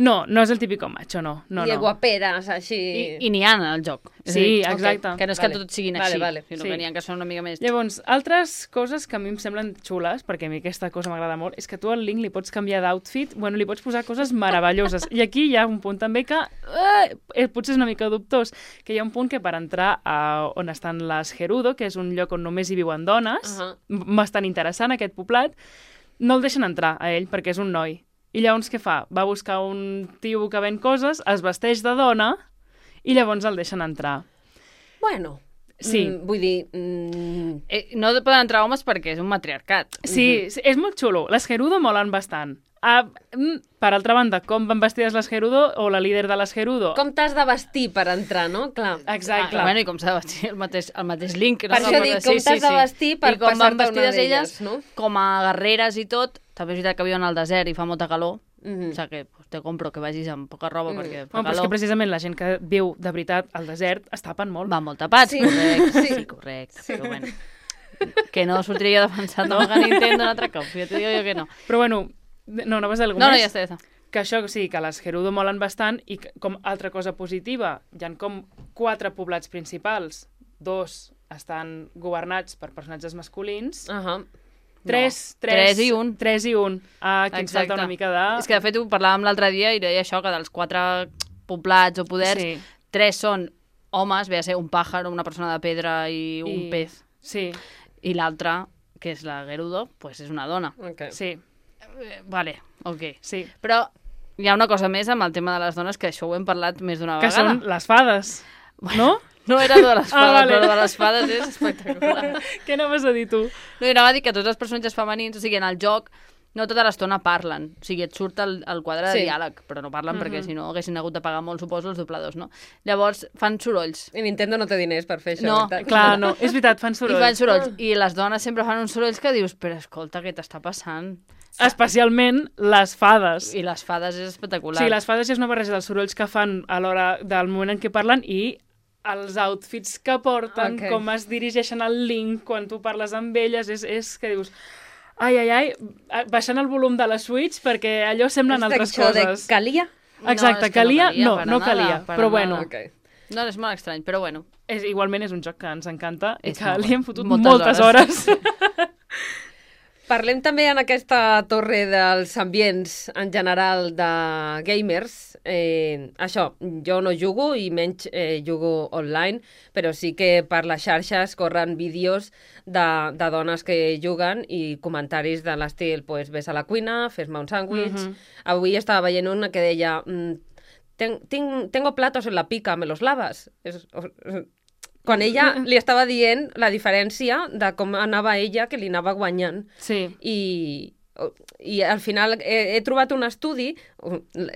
No, no és el típico macho, no. no I de no. guaperes, així... I, I n'hi ha en el joc. Sí, dir, exacte. Okay. Que no és vale. que tots siguin vale, així, vale. sinó sí. que n'hi ha que són una mica més... Llavors, altres coses que a mi em semblen xules, perquè a mi aquesta cosa m'agrada molt, és que tu al Link li pots canviar d'outfit, bueno, li pots posar coses meravelloses. I aquí hi ha un punt també que eh, potser és una mica dubtós, que hi ha un punt que per entrar a on estan les Gerudo, que és un lloc on només hi viuen dones, uh -huh. bastant interessant aquest poblat, no el deixen entrar a ell perquè és un noi. I llavors què fa? Va buscar un tio que ven coses, es vesteix de dona i llavors el deixen entrar. Bueno, sí. mm, vull dir... Mm... Eh, no poden entrar homes perquè és un matriarcat. Sí, sí, és molt xulo. Les Gerudo molen bastant. Ah, per altra banda, com van vestides les Gerudo o la líder de les Gerudo? Com t'has de vestir per entrar, no? Clar. Exacte. Ah, bueno, i com s'ha de vestir el mateix, el mateix Link. No? Per això dic, com t'has de vestir per passar-te una d'elles, no? Com a guerreres i tot, també és veritat que viuen al desert i fa molta calor, Mm-hmm. o sigui que pues, te compro que vagis amb poca roba mm. perquè fa bueno, però és calor. que precisament la gent que viu de veritat al desert es tapen molt. Va molt tapats, sí. correcte. Sí, sí correcte. Sí. Però bueno, que no sortiria defensant no. a Nintendo un altre cop, ja t'ho digo jo que no. Però bueno, no, no vas a dir no, més? No, ja està, ja està. Que això, sí, que les Gerudo molen bastant i que, com altra cosa positiva, hi ha com quatre poblats principals, dos estan governats per personatges masculins, uh -huh. Tres, no. tres, tres i un. Tres i un. Ah, aquí ens falta una mica de... És que, de fet, ho parlàvem l'altre dia i deia això, que dels quatre poblats o poders, sí. tres són homes, ve a ser un pàjar, una persona de pedra i un I... pez. Sí. I l'altra, que és la Gerudo, pues és una dona. Okay. Sí. Eh, vale, ok. Sí. Però hi ha una cosa més amb el tema de les dones, que això ho hem parlat més d'una que vegada. Que són les fades, bueno. no? No era de les fades, ah, vale. Però de les fades és espectacular. Què anaves a dir tu? No, anava a dir que tots els personatges femenins, o sigui, en el joc, no tota l'estona parlen. O sigui, et surt el, el quadre de sí. diàleg, però no parlen mm-hmm. perquè si no haguessin hagut de pagar molt, suposo, els dobladors, no? Llavors, fan sorolls. I Nintendo no té diners per fer això. No, veritat? clar, no. És veritat, fan sorolls. I fan sorolls. Ah. I les dones sempre fan uns sorolls que dius, però escolta, què t'està passant? Especialment les fades. I les fades és espectacular. Sí, les fades és una barreja dels sorolls que fan a l'hora del moment en què parlen i els outfits que porten, okay. com es dirigeixen al Link quan tu parles amb elles, és, és que dius... Ai, ai, ai, baixant el volum de la Switch perquè allò semblen altres coses. De calia? Exacte, no, calia, no calia, no, no calia, però bueno. Okay. No, és molt estrany, però bueno. És, igualment és un joc que ens encanta és i que li hem fotut moltes, moltes hores. hores. Parlem també en aquesta torre dels ambients en general de gamers. Eh, això, jo no jugo i menys eh, jugo online, però sí que per les xarxes corren vídeos de, de dones que juguen i comentaris de l'estil, pues, ves a la cuina, fes-me un sàndwich. Uh-huh. Avui estava veient una que deia Ten, ten, tengo platos en la pica, ¿me los lavas? És, o, quan ella li estava dient la diferència de com anava ella, que li anava guanyant. Sí. I, i al final he, he trobat un estudi,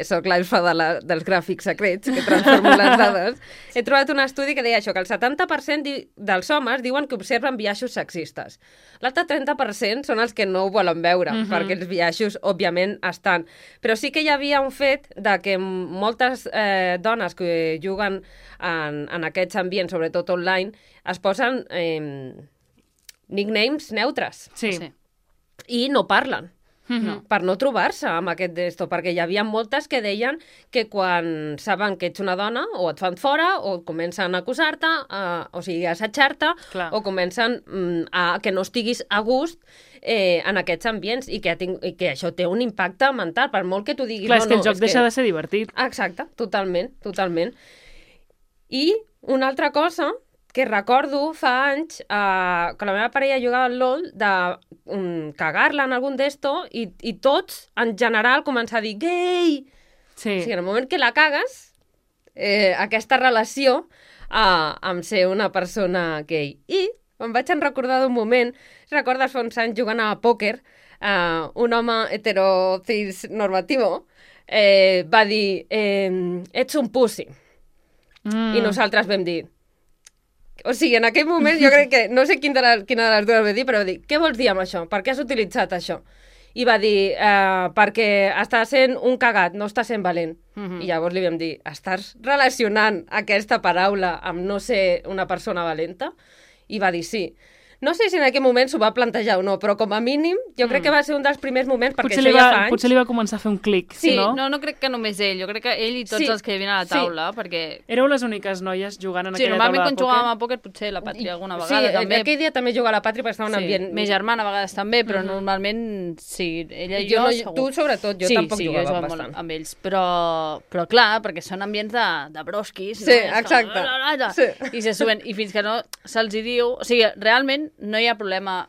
soc l'elfa de la, dels gràfics secrets, que transformo les dades, he trobat un estudi que deia això, que el setanta per cent di, dels homes diuen que observen biaixos sexistes. L'altre trenta per cent són els que no ho volen veure, uh-huh. perquè els biaixos, òbviament, estan. Però sí que hi havia un fet de que moltes eh, dones que juguen en, en aquests ambients, sobretot online, es posen eh, nicknames neutres. Sí. sí. I no parlen. Mm-hmm. Per no trobar-se amb aquest d'esto, perquè hi havia moltes que deien que quan saben que ets una dona o et fan fora o comencen a acusar-te, a, o sigui, a assetjar-te, o comencen mm, a que no estiguis a gust eh, en aquests ambients i que, ting- i que això té un impacte mental, per molt que tu diguis... Clar, no, és que el no, joc deixa que... de ser divertit. Exacte, totalment, totalment. I una altra cosa que recordo fa anys uh, que la meva parella jugava al LOL de um, cagar-la en algun d'esto i, i tots, en general, començar a dir gay! Sí. O sigui, en el moment que la cagues, eh, aquesta relació uh, amb ser una persona gay. I em vaig en recordar d'un moment, recordes fa uns anys jugant a pòquer, uh, un home heterocis normativo eh, va dir eh, ets un pussy. Mm. I nosaltres vam dir... O sigui, en aquell moment jo crec que... No sé quin de la, quina de les dues va dir, però va dir, què vols dir amb això? Per què has utilitzat això? I va dir, eh, perquè està sent un cagat, no està sent valent. Mm-hmm. I llavors li vam dir, estàs relacionant aquesta paraula amb no ser una persona valenta? I va dir, sí. No sé si en aquell moment s'ho va plantejar o no, però com a mínim jo crec que va ser un dels primers moments, perquè potser això va, ja fa anys... Potser li va començar a fer un clic, sí, no? no? No crec que només ell, jo crec que ell i tots sí. els que hi havien a la taula, sí. perquè... Éreu les úniques noies jugant en sí, aquella taula de pòquer? Sí, normalment quan jugàvem a pòquer potser la Pàtria alguna vegada sí, també. Sí, aquell dia també jugava a la Pàtria perquè estava en un sí. ambient... Mes germana a vegades també, però mm-hmm. normalment sí, ella i jo, jo no, segur. Tu sobretot, jo sí, tampoc sí, jugava jo bastant. Molt amb ells, però, però clar, perquè són ambients de, de brosquis, sí, no? exacte. Com... Sí. I se suben, i fins que no se'ls hi diu... O sigui, realment no hi ha problema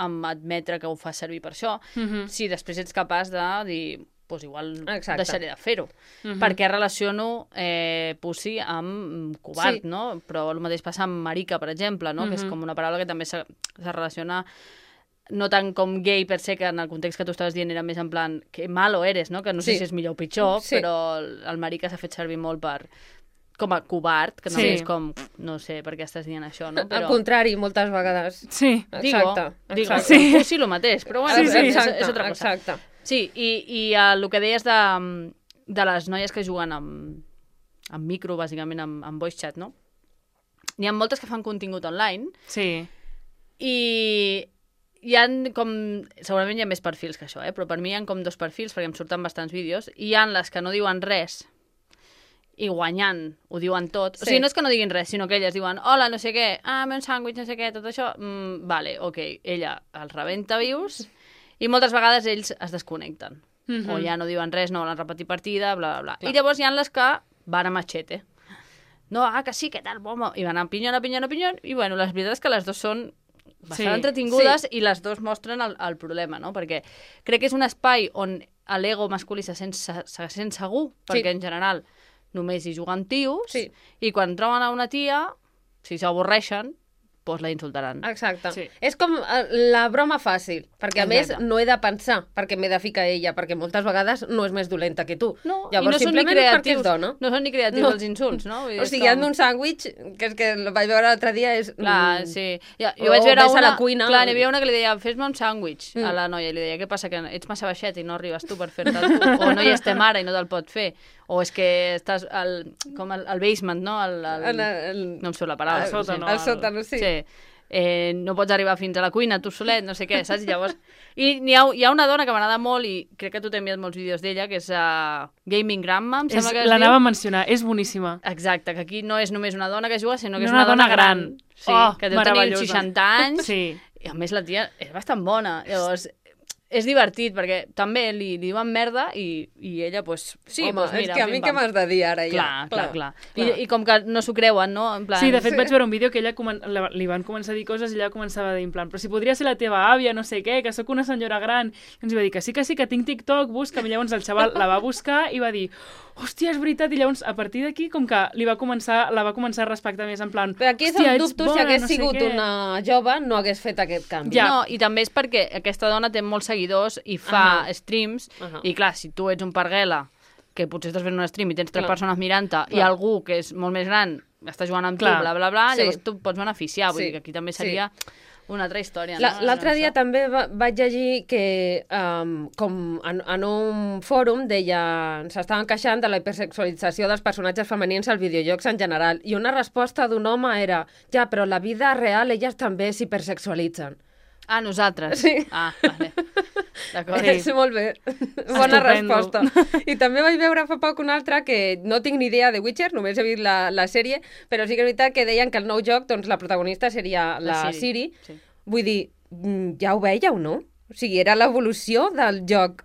amb admetre que ho fa servir per això, mm-hmm. si després ets capaç de dir, pues igual exacte. Deixaré de fer-ho. Mm-hmm. Perquè relaciono eh, pussy amb covard, sí. no? Però el mateix passa amb marica, per exemple, no? Mm-hmm. Que és com una paraula que també se, se relaciona no tant com gay per se, que en el context que tu estaves dient era més en plan que malo eres, no? Que no sé sí. si és millor o pitjor, sí. però el marica s'ha fet servir molt per... com a covard, que no sí. és com, no sé per què estàs dient això, no? Però... Al contrari, moltes vegades. Sí. Exacte. Digo, digo sí. sí, el mateix, però bueno, sí, sí. És, Exacte, és altra cosa. Exacte. Sí, i, i uh, el que deies de, de les noies que juguen amb, amb micro, bàsicament, amb, amb voice chat, no? N'hi ha moltes que fan contingut online. Sí. I hi ha com... Segurament hi ha més perfils que això, eh? Però per mi hi ha com dos perfils, perquè em surten bastants vídeos, i hi ha les que no diuen res, i guanyant ho diuen tot. Sí. O sigui, no és que no diguin res, sinó que elles diuen hola, no sé què, ah, un sàndwich, no sé què, tot això, mm, vale, ok, ella els rebenta vius i moltes vegades ells es desconnecten. Mm-hmm. O ja no diuen res, no volen repetir partida, bla, bla, bla. Clar. I llavors hi ha les que van a machete. No, ah, que sí, que tal, bomba. I van a pinyon, a pinyon, a pinyon. I bueno, la veritat és que les dues són bastant sí. entretingudes sí. i les dues mostren el, el problema, no? Perquè crec que és un espai on l'ego masculí se sent, se, se sent segur, perquè sí. en general només hi juguen tios, sí. i quan troben a una tia, si s'avorreixen, doncs la insultaran. Exacte. Sí. És com la broma fàcil, perquè a Exacte. Més no he de pensar perquè m'he de ficar ella, perquè moltes vegades no és més dolenta que tu. No, llavors, i no són ni creatius, dona. No són ni creatius no. els insults, no? Vull dir, o sigui, com... hi ha un sàndwich, que és que el vaig veure l'altre dia, és... Clar, sí. Ja, jo vaig veure una... a la cuina. Clar, n'hi havia una que li deia, fes-me un sàndwich mm. a la noia, i li deia, què passa, que ets massa baixet i no arribes tu per fer-te tu, o no hi estem ara i no te'l pot fer, o és que estàs al, com al, al basement, no? El, el, el, el, no em surt la paraula. El sòtano. El sòtano, sí. Sí. Eh, no pots arribar fins a la cuina tu solet, no sé què, saps? Llavors... I hi ha, hi ha una dona que m'agrada molt i crec que tu t'he enviat molts vídeos d'ella, que és uh, Gaming Grandma, em sembla que es diu. L'anava a mencionar, és boníssima. Exacte, que aquí no és només una dona que juga, sinó que no és una, una dona, dona gran. gran. Sí, oh, que deu tenir seixanta anys. Sí. I a més la tia és bastant bona. Llavors... És divertit, perquè també li, li diuen merda i, i ella, doncs, sí, home, pues mira, és que a mi què m'has de dir ara ja? Clar, clar, clar. clar. I, I com que no s'ho creuen, no? En plan... Sí, de fet sí. vaig veure un vídeo que ella comen... li van començar a dir coses i ella començava a dir en plan, però si podria ser la teva àvia, no sé què, que sóc una senyora gran. I ens va dir que sí, que sí, que tinc TikTok, busca'm. I llavors el xaval la va buscar i va dir, hòstia, és veritat. I llavors, a partir d'aquí, com que li va començar, la va començar a respectar més, en plan, però aquí és el dubte, bona, si hagués no sigut sé una jove, no hagués fet aquest canvi. Ja. No, i també és perquè aquesta dona té molts seguidors i fa uh-huh. streams, uh-huh. i clar, si tu ets un parguela, que potser estàs fent un stream i tens tres clar. persones mirant-te, i algú que és molt més gran està jugant amb clar. tu, bla, bla, bla, sí. llavors tu pots beneficiar. Vull sí. dir que aquí també seria... Sí. una altra història, no? L'altre dia també va, vaig llegir que um, com en, en un fòrum deia, s'estaven queixant de la hipersexualització dels personatges femenins als videojocs en general, i una resposta d'un home era, ja, però la vida real elles també s'hipersexualitzen. Ah, nosaltres? Sí. Ah, vale. D'acord. És molt bé. Bona resposta. I també vaig veure fa poc una altra que no tinc ni idea de Witcher, només he vist la, la sèrie, però sí que és veritat que deien que el nou joc, doncs la protagonista seria la, la Ciri. Sí. Vull dir, ja ho veieu, no? O sigui, era l'evolució del joc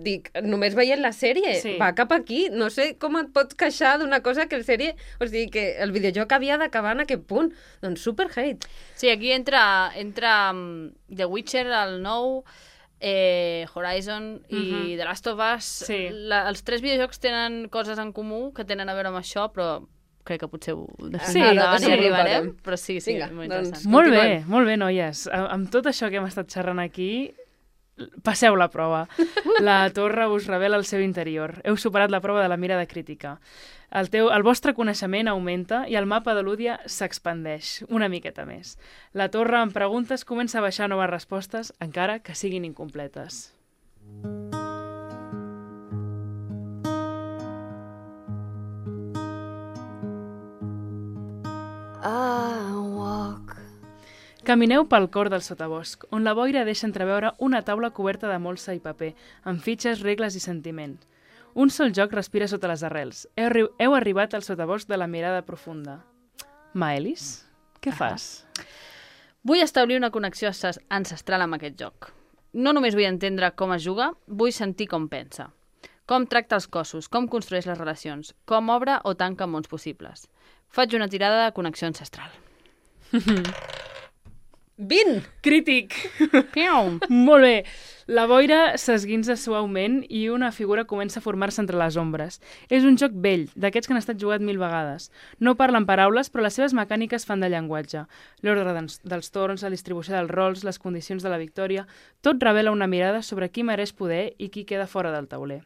dic, només veient la sèrie, Sí. va cap aquí. No sé com et pots queixar d'una cosa que el sèrie... O sigui, que el videojoc havia d'acabar en aquest punt. Doncs super hate. Sí, aquí entra, entra um, The Witcher, el nou, eh, Horizon i Mhm. The Last of Us. Sí. La, els tres videojocs tenen coses en comú que tenen a veure amb això, però crec que potser ho Sí, endavant ara hi arribarem. desenvoluparem. Però sí, sí, Vinga, és molt doncs- interessant. Molt bé, Continuem. molt bé, noies. A- Amb tot això que hem estat xerrant aquí, passeu la prova. La torre us revela el seu interior. Heu superat la prova de la mirada crítica. El, teu, el vostre coneixement augmenta i el mapa de l'Údia s'expandeix una miqueta més. La torre amb preguntes comença a baixar noves respostes, encara que siguin incompletes. I walk. Camineu pel cor del sotabosc, on la boira deixa entreveure una taula coberta de molsa i paper, amb fitxes, regles i sentiments. Un sol joc respira sota les arrels. Heu, arri heu arribat al sotabosc de la mirada profunda. Maelis, què fas? Vull establir una connexió ancest- ancestral amb aquest joc. No només vull entendre com es juga, vull sentir com pensa. Com tracta els cossos, com construeix les relacions, com obre o tanca mons possibles. Faig una tirada de connexió ancestral. vint! Crític! Piau! Molt bé. La boira s'esguinza suaument i una figura comença a formar-se entre les ombres. És un joc vell, d'aquests que han estat jugat mil vegades. No parlen paraules, però les seves mecàniques fan de llenguatge. L'ordre dels, dels torns, la distribució dels rols, les condicions de la victòria... Tot revela una mirada sobre qui mereix poder i qui queda fora del tauler.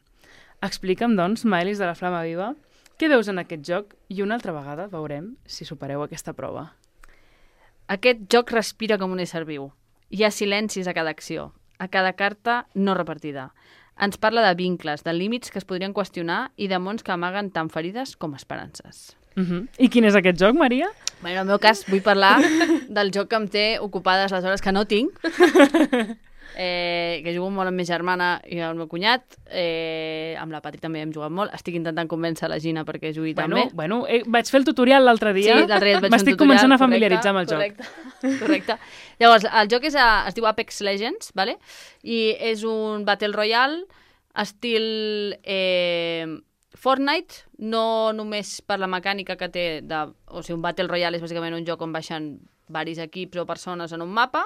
Explica'm, doncs, Maelis de la Flama Viva, què veus en aquest joc i una altra vegada veurem si supereu aquesta prova. Aquest joc respira com un ésser viu. Hi ha silencis a cada acció, a cada carta no repartida. Ens parla de vincles, de límits que es podrien qüestionar i de mons que amaguen tant ferides com esperances. Uh -huh. I quin és aquest joc, Maria? Bé, en el meu cas vull parlar del joc que em té ocupades les hores que no tinc, eh, que jugo molt amb ma germana i el meu cunyat, eh, amb la Patri també hem jugat molt. Estic intentant convèncer la Gina perquè jugui Bueno, també. bueno eh, vaig fer el tutorial l'altre dia. Sí, l'altre dia et vaig fer un M'estic tutorial, començant a correcte, familiaritzar amb el joc. correcte, Correcte. Llavors, el joc és a, es diu Apex Legends, vale? I és un Battle Royale estil eh, Fortnite, no només per la mecànica que té, de, o sigui, un Battle Royale és bàsicament un joc on baixen varis equips o persones en un mapa.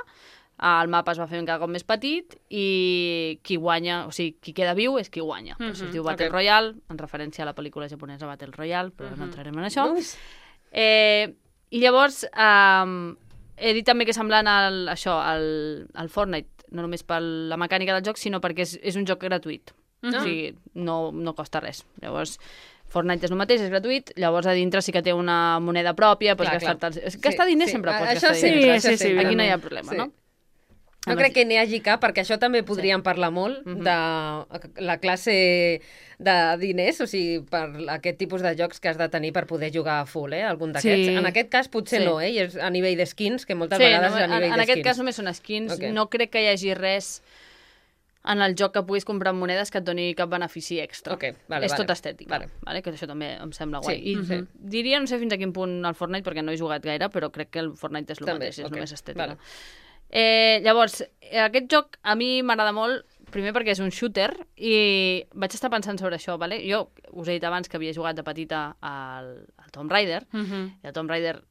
El mapa es va fer cada cop més petit i qui guanya, o sigui, qui queda viu és qui guanya. Mm -hmm. Es diu Battle ok. Royale, en referència a la pel·lícula japonesa Battle Royale, però mm -hmm. no entrarem en això. Uf. Eh, I llavors, um, he dit també que és semblant al, això, al, al Fortnite, no només per la mecànica del joc, sinó perquè és, és un joc gratuït. Mm -hmm. O sigui, no, no costa res. Llavors, Fortnite és el mateix, és gratuït, llavors a dintre sí que té una moneda pròpia, pots Clar, clar. gastar-te... Sí, gastar diners sí. sempre pots Això gastar sí, diners. Sí, això sí, sí, Aquí no hi ha evidentment. problema, Sí. no? No crec que n'hi hagi cap, perquè això també podríem parlar molt Mhm. de la classe de diners, o sigui, per aquest tipus de jocs que has de tenir per poder jugar a full, eh? Algun d'aquests. Sí. En aquest cas potser Sí. no, eh? I és a nivell de skins, que moltes Sí, vegades no, és a en, nivell en de aquest skins. cas només són skins. Ok. No crec que hi hagi res en el joc que puguis comprar amb monedes que et doni cap benefici extra. Ok, vale, és vale. tot estètic, Vale. vale. Que això també em sembla guai. Sí, I sí. diria, no sé fins a quin punt el Fortnite, perquè no he jugat gaire, però crec que el Fortnite és el També, mateix, és ok, només estètic. vale. Eh, llavors, eh, aquest joc a mi m'agrada molt, primer perquè és un shooter, i vaig estar pensant sobre això, vale? Jo us he dit abans que havia jugat de petita al, al Tomb Raider, Uh -huh. i el Tomb Raider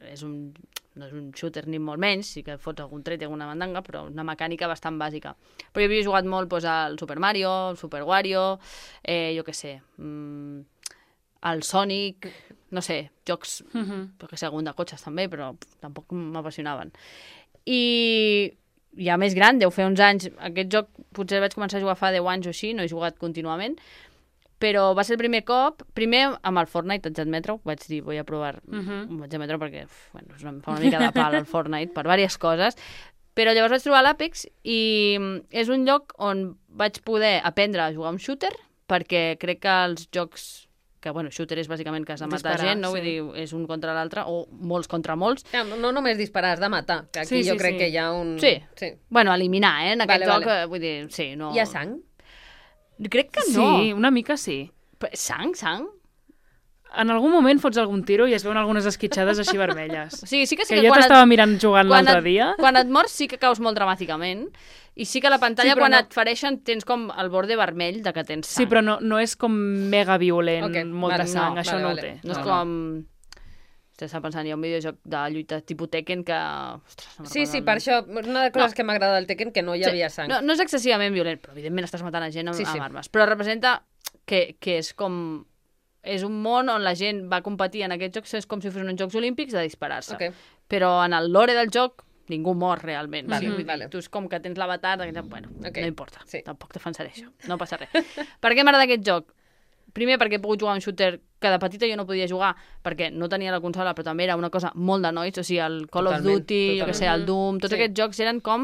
és un, no és un shooter ni molt menys, sí que fots algun tret i alguna mandanga, però una mecànica bastant bàsica. Però jo havia jugat molt doncs, al Super Mario, al Super Wario, eh, jo què sé, mm, al Sonic, no sé, jocs, Uh -huh. jo què sé, algun de cotxes també, però pff, tampoc m'apassionaven. I ja més gran, deu fer uns anys, aquest joc potser vaig començar a jugar fa deu anys o així, no he jugat contínuament, però va ser el primer cop, primer amb el Fortnite, haig d'admetre-ho, vaig dir, vull a provar, Uh -huh. ho vaig admetre perquè uf, bueno, em fa una mica de pal el Fortnite per diverses coses, però llavors vaig trobar l'Apex i és un lloc on vaig poder aprendre a jugar un shooter, perquè crec que els jocs que, bueno, shooter és bàsicament que has de matar Disparar, gent, no? sí. Vull dir, és un contra l'altre, o molts contra molts. Ja, no, no només disparar, has de matar, que aquí Sí, sí, jo crec sí. que hi ha un... Sí. sí. Bueno, eliminar, eh? En aquest Vale, joc, vale. eh, vull dir, sí, no... Hi ha sang? Crec que no. Sí, una mica sí. Però sang, sang? en algun moment fots algun tiro i es veuen algunes esquitxades així vermelles. O sigui, sí que sí que que jo quan t'estava et, mirant jugant quan l'altre et, dia. quan et mors sí que caus molt dramàticament i sí que a la pantalla Sí, però quan no- et fereixen tens com el borde vermell de que tens sang. Sí, però no, no és com mega violent, Ok, molta vale, sang, no, això vale, no vale. ho té. No és No, com... Estic pensant, hi ha un videojoc de lluita tipus Tekken que... Ostres, no me'n Sí, recordo sí, el per nom. això, una de les coses No. que m'agrada del Tekken, que no hi havia sang. No, no és excessivament violent, però evidentment estàs matant a gent amb, Sí, sí. amb armes. Però representa que, que és com... És un món on la gent va competir en aquests jocs, és com si fossin uns Jocs Olímpics de disparar-se. Ok. Però en el lore del joc ningú mor realment. Vale, sí, vull dir, vale. tu és com que tens l'avatar, de... bueno, Ok. no importa, Sí. tampoc defensaré això, no passa res. Per què m'agrada aquest joc? Primer perquè he pogut jugar a un shooter que de petita jo no podia jugar perquè no tenia la consola, però també era una cosa molt de nois, o sigui, el Call of Totalment, Duty, jo què sé, el totalment. Doom, tots Sí. aquests jocs eren com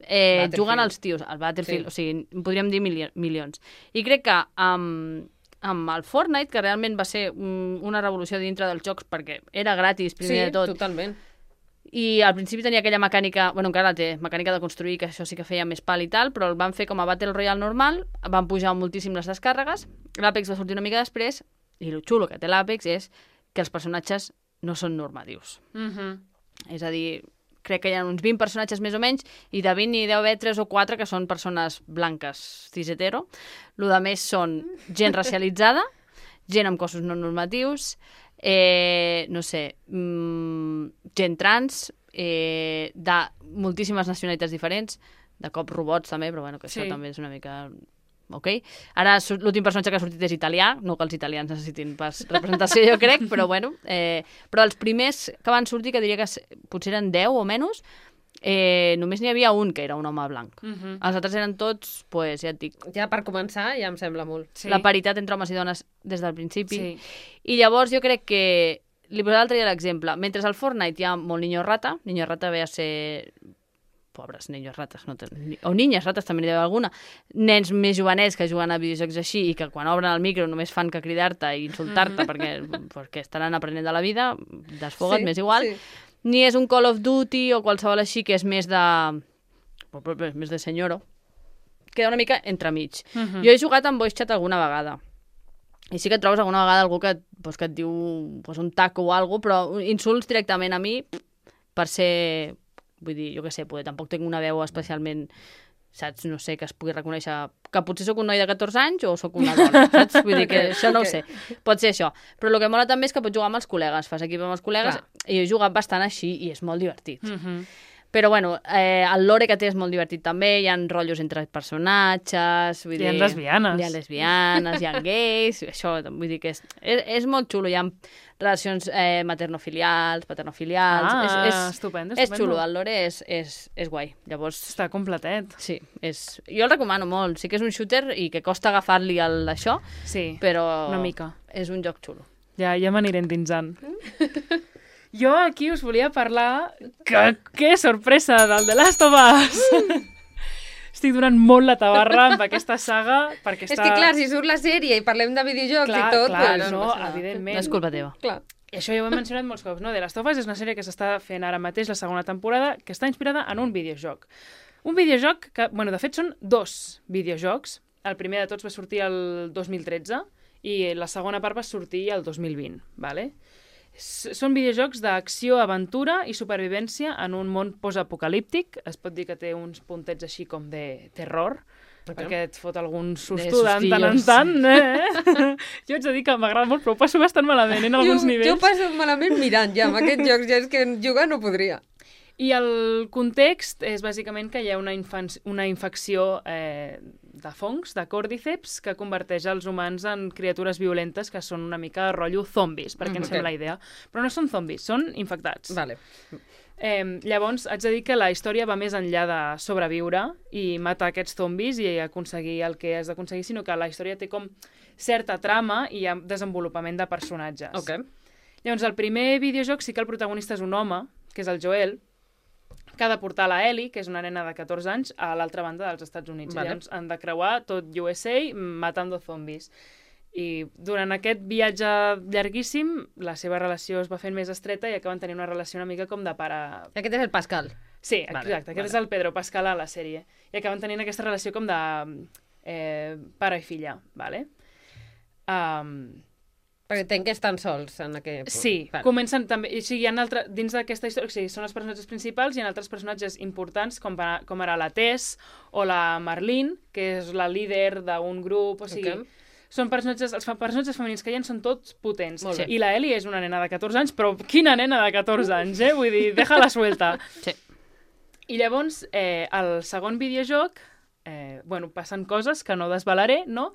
eh, Battlefield. jugant als tios, al Battlefield, Sí. o sigui, en podríem dir mili milions. I crec que amb, amb el Fortnite, que realment va ser un, una revolució dintre dels jocs perquè era gratis, primer Sí, de tot, totalment. i al principi tenia aquella mecànica, bueno, encara la té, mecànica de construir, que això sí que feia més pal i tal, però el van fer com a Battle Royale normal, van pujar moltíssim les descàrregues, l'Apex va sortir una mica després, i el xulo que té l'Apex és que els personatges no són normatius. Mhm. És a dir, crec que hi ha uns vint personatges més o menys, i de vint n'hi deu haver tres o quatre que són persones blanques cis hetero. Lo de més són gent racialitzada, gent amb cossos no normatius, eh, no sé, mmm, gent trans, eh, de moltíssimes nacionalitats diferents, de cop robots també, però bueno, que això Sí. també és una mica... Ok? Ara su- l'últim personatge que ha sortit és italià, no que els italians necessitin pas representació, jo crec, però bueno. Eh, però els primers que van sortir, que diria que s- potser eren deu o menys, eh, només n'hi havia un que era un home blanc. Mhm. Els altres eren tots, pues, ja et dic, Ja per començar, ja em sembla molt. Sí. la paritat entre homes i dones des del principi. Sí. I llavors jo crec que... Li posaré l'altre dia l'exemple. Mentre al Fortnite hi ha molt niño rata, niño rata ve a ser... Pobres niños rates, no ten... o niñas rates també n'hi deu alguna. Nens més jovenets que juguen a videojocs així i que quan obren el micro només fan que cridar-te i insultar-te Mhm. perquè, perquè estaran aprenent de la vida, desfoga't, Sí, m'és igual. sí. Ni és un Call of Duty o qualsevol així que és més de... més de senyoro. Queda una mica entremig. Mhm. Jo he jugat amb voice chat alguna vegada. I sí que et trobes alguna vegada algú que, pues, que et diu pues, un taco o alguna cosa, però insults directament a mi per ser... Vull dir, jo què sé, poder, tampoc tinc una veu especialment, saps, no sé, que es pugui reconèixer que potser sóc un noi de catorze anys o sóc una dona, saps? Vull dir que això no Ok. ho sé. Pot ser això. Però el que mola també és que pots jugar amb els col·legues. Fas equip amb els col·legues Clar. i jo he jugat bastant així i és molt divertit. Mhm. Però, bueno, eh, el lore que té és molt divertit també, hi ha rotllos entre personatges... Vull Hi ha dir, lesbianes. Hi ha lesbianes, hi ha gais, això, vull dir que és, és, és molt xulo, hi ha relacions eh, maternofilials, paternofilials... Ah, és, és, estupendo, és estupendo. xulo, el lore és, és, és guai. Llavors, Està completet. sí, és, jo el recomano molt. Sí que és un shooter i que costa agafar-li el això, Sí, però una mica. és un joc xulo. Ja, ja m'aniré endinsant. Jo aquí us volia parlar... Que, que sorpresa del The Last of Us! Estic donant molt la tabarra amb aquesta saga perquè És està... que clar, si surt la sèrie i parlem de videojocs Clar, i tot... clar, pues, no, passa nada. evidentment. No és culpa teva. Clar. I això ja ho he mencionat molts cops, no? The Last of Us és una sèrie que s'està fent ara mateix, la segona temporada, que està inspirada en un videojoc. Un videojoc que, bueno, de fet són dos videojocs. El primer de tots va sortir el dos mil tretze i la segona part va sortir el dos mil vint, vale? S- Són videojocs d'acció, aventura i supervivència en un món postapocalíptic. Es pot dir que té uns puntets així com de terror, Ok. perquè et fot algun De susto de tant en sustillos. tant, eh? Jo haig de dir que m'agrada molt, però ho passo bastant malament en alguns jo, nivells. jo passo malament mirant ja amb aquests jocs, ja és que jugar no podria. I el context és bàsicament que hi ha una, infan- una infecció eh, de fongs, de còrdiceps, que converteix els humans en criatures violentes que són una mica rotllo zombis, perquè Mhm. ens sembla Ok. la idea. Però no són zombis, són infectats. Vale. Eh, llavors, haig de dir que la història va més enllà de sobreviure i matar aquests zombis i aconseguir el que has d'aconseguir, sinó que la història té com certa trama i hi ha desenvolupament de personatges. Ok. Llavors, el primer videojoc sí que el protagonista és un home, que és el Joel, que ha de portar la Ellie, que és una nena de catorze anys, a l'altra banda dels Estats Units. Vale. Llavors han de creuar tot U S A matando zombis. I durant aquest viatge llarguíssim, la seva relació es va fent més estreta i acaben tenint una relació una mica com de pare... Aquest és el Pascal. Sí, Vale, exacte, aquest vale. és el Pedro Pascal a la sèrie. I acaben tenint aquesta relació com de eh, pare i filla, vale? Um, Perquè entenc que estan sols en aquest... Sí, Vale. comencen també... O sigui, hi ha altre, dins d'aquesta història, o sigui, són els personatges principals i hi ha altres personatges importants, com, va, com ara la Tess o la Marlene, que és la líder d'un grup, o sigui... Ok. Són personatges, els personatges femenins que hi ha són tots potents. Molt bé. I la Ellie és una nena de catorze anys, però quina nena de catorze anys, eh? Vull dir, deja-la suelta. Sí. I llavors, eh, el segon videojoc, eh, bueno, passen coses que no desvelaré, no?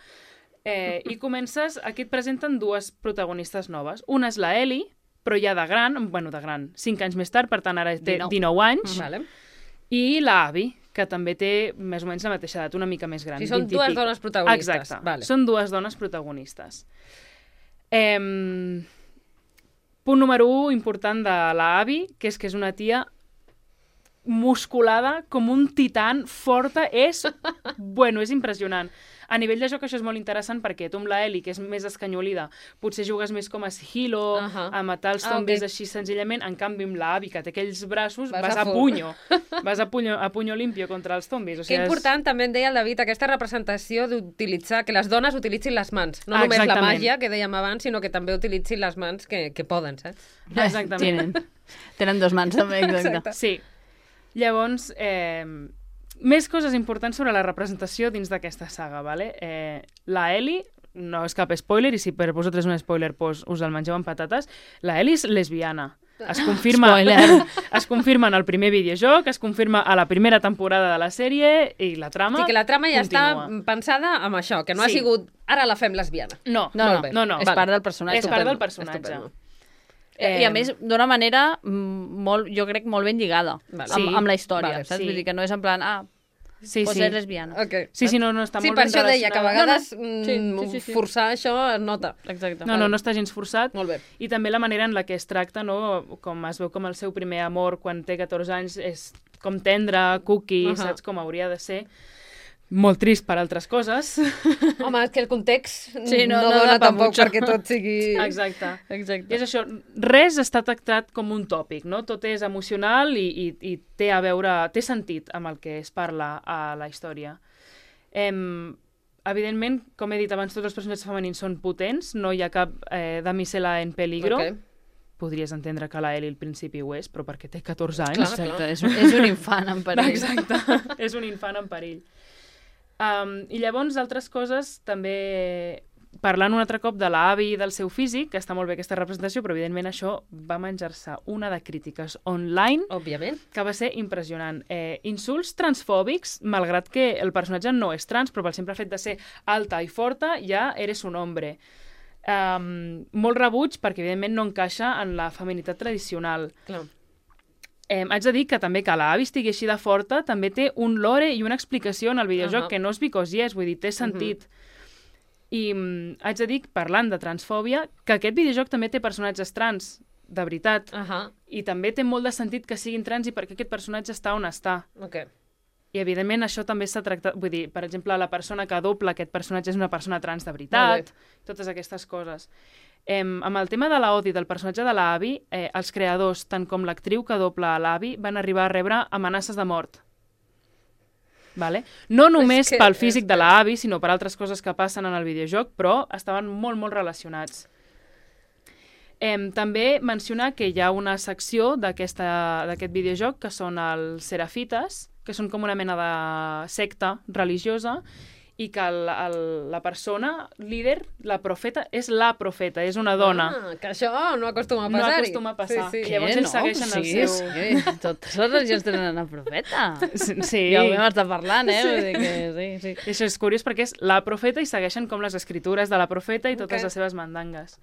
Eh, I comences, aquí et presenten dues protagonistes noves. Una és la Ellie, però ja de gran, bueno, de gran, cinc anys més tard, per tant ara té dinou. dinou anys, Vale. i la Abby, que també té més o menys la mateixa edat, una mica més gran. Sí, són vint i dues pico. dones protagonistes. Exacte, Vale. són dues dones protagonistes. Eh, punt número un important de la Abby, que és que és una tia musculada com un titan, forta, és, bueno, és impressionant. A nivell de joc això és molt interessant perquè tu amb la Ellie, que és més escanyolida, potser jugues més com a sigilo, Uh -huh. a matar els Ah, zombis ok. així senzillament, en canvi amb la Abby, que té aquells braços, Vas vas, a a, full. punyo, vas a punyo, a punyo limpio contra els zombis. O Que sigui, important, també em deia el David, aquesta representació d'utilitzar, que les dones utilitzin les mans. No Ah, només la exactament. màgia, que dèiem abans, sinó que també utilitzin les mans que, que poden, saps? És... Exactament. Tenen, tenen dos mans, també, exacte. Exacte. Sí. Llavors, eh, més coses importants sobre la representació dins d'aquesta saga, vale? Eh, la Ellie, no és cap spoiler, i si per vosaltres és un spoiler, pues, us el mengeu amb patates, la Ellie és lesbiana. Es confirma, Spoiler. es confirma en el primer videojoc, es confirma a la primera temporada de la sèrie i la trama O sigui que la trama ja continua. està pensada amb això, que no ha Sí. sigut ara la fem lesbiana. No, No, Molt no, bé. no, no. és Vale. part del personatge. És part del Estupendo, personatge. estupendo. Eh, I a més, d'una manera mm, molt, jo crec, molt ben lligada Vale. amb, Sí. amb la història, Vale, saps? sí. Vull dir que no és en plan, ah, Sí, pues sí. és lesbiana. Okay. Sí, sí, no, no, està sí, molt per ben això deia que a relacionada. vegades No, no. mm, Sí, sí, sí, sí. forçar això es nota. Exacte. No, no, no està gens forçat. Molt bé. I també la manera en la que es tracta, no? Com es veu com el seu primer amor quan té catorze anys és com tendre, cookie, Uh uh -huh. -huh. saps com hauria de ser. Molt trist per altres coses. Home, és que el context Sí, no- no, no dona da pa tampoc mucho. perquè tot sigui... Exacte. Exacte. I és això, res està tractat com un tòpic, no? Tot és emocional i, i, i té a veure, té sentit amb el que es parla a la història. Em, evidentment, com he dit abans, tots els personatges femenins són potents, no hi ha cap eh, damisela en peligro. Ok. Podries entendre que la Ellie al principi ho és, però perquè té catorze anys. Clar, Exacte, és, un- és un infant en perill. Exacte, és un infant en perill. Um, I llavors, altres coses, també parlant un altre cop de la Abby i del seu físic, que està molt bé aquesta representació, però evidentment això va menjar-se una de crítiques online Òbviament. que va ser impressionant. Eh, insults transfòbics, malgrat que el personatge no és trans, però pel simple fet de ser alta i forta, ja eres un hombre. Um, molt rebuig perquè evidentment no encaixa en la feminitat tradicional. Clar. Eh, haig de dir que també que la Abby estigui així de forta també té un lore i una explicació en el videojoc Uh-huh. que no és because yes, vull dir, té sentit. I mm, haig de dir, parlant de transfòbia, que aquest videojoc també té personatges trans, de veritat, Uh -huh. i també té molt de sentit que siguin trans i perquè aquest personatge està on està. Ok. I, evidentment, això també s'ha tractat... Vull dir, per exemple, la persona que dobla aquest personatge és una persona trans de veritat, totes aquestes coses. Eh, amb el tema de la odi del personatge de la Abby, eh, els creadors, tant com l'actriu que dobla a l'Abby, van arribar a rebre amenaces de mort. Vale? No només que- pel físic és de que- la Abby, sinó per altres coses que passen en el videojoc, però estaven molt, molt relacionats. Eh, també mencionar que hi ha una secció d'aquesta- d'aquest videojoc que són els Serafites, que són com una mena de secta religiosa, i que el, el, la persona líder, la profeta, és la profeta, és una dona. Ah, que això no acostuma a No passar-hi. acostuma a passar. Sí, sí. Llavors Què? ells segueixen el sí, seu- Sí, totes les religions tenen una profeta. Sí, Ja ho vam estar parlant, eh? Vull dir que sí, sí. això és curiós perquè és la profeta i segueixen com les escritures de la profeta i totes Ok. les seves mandangues.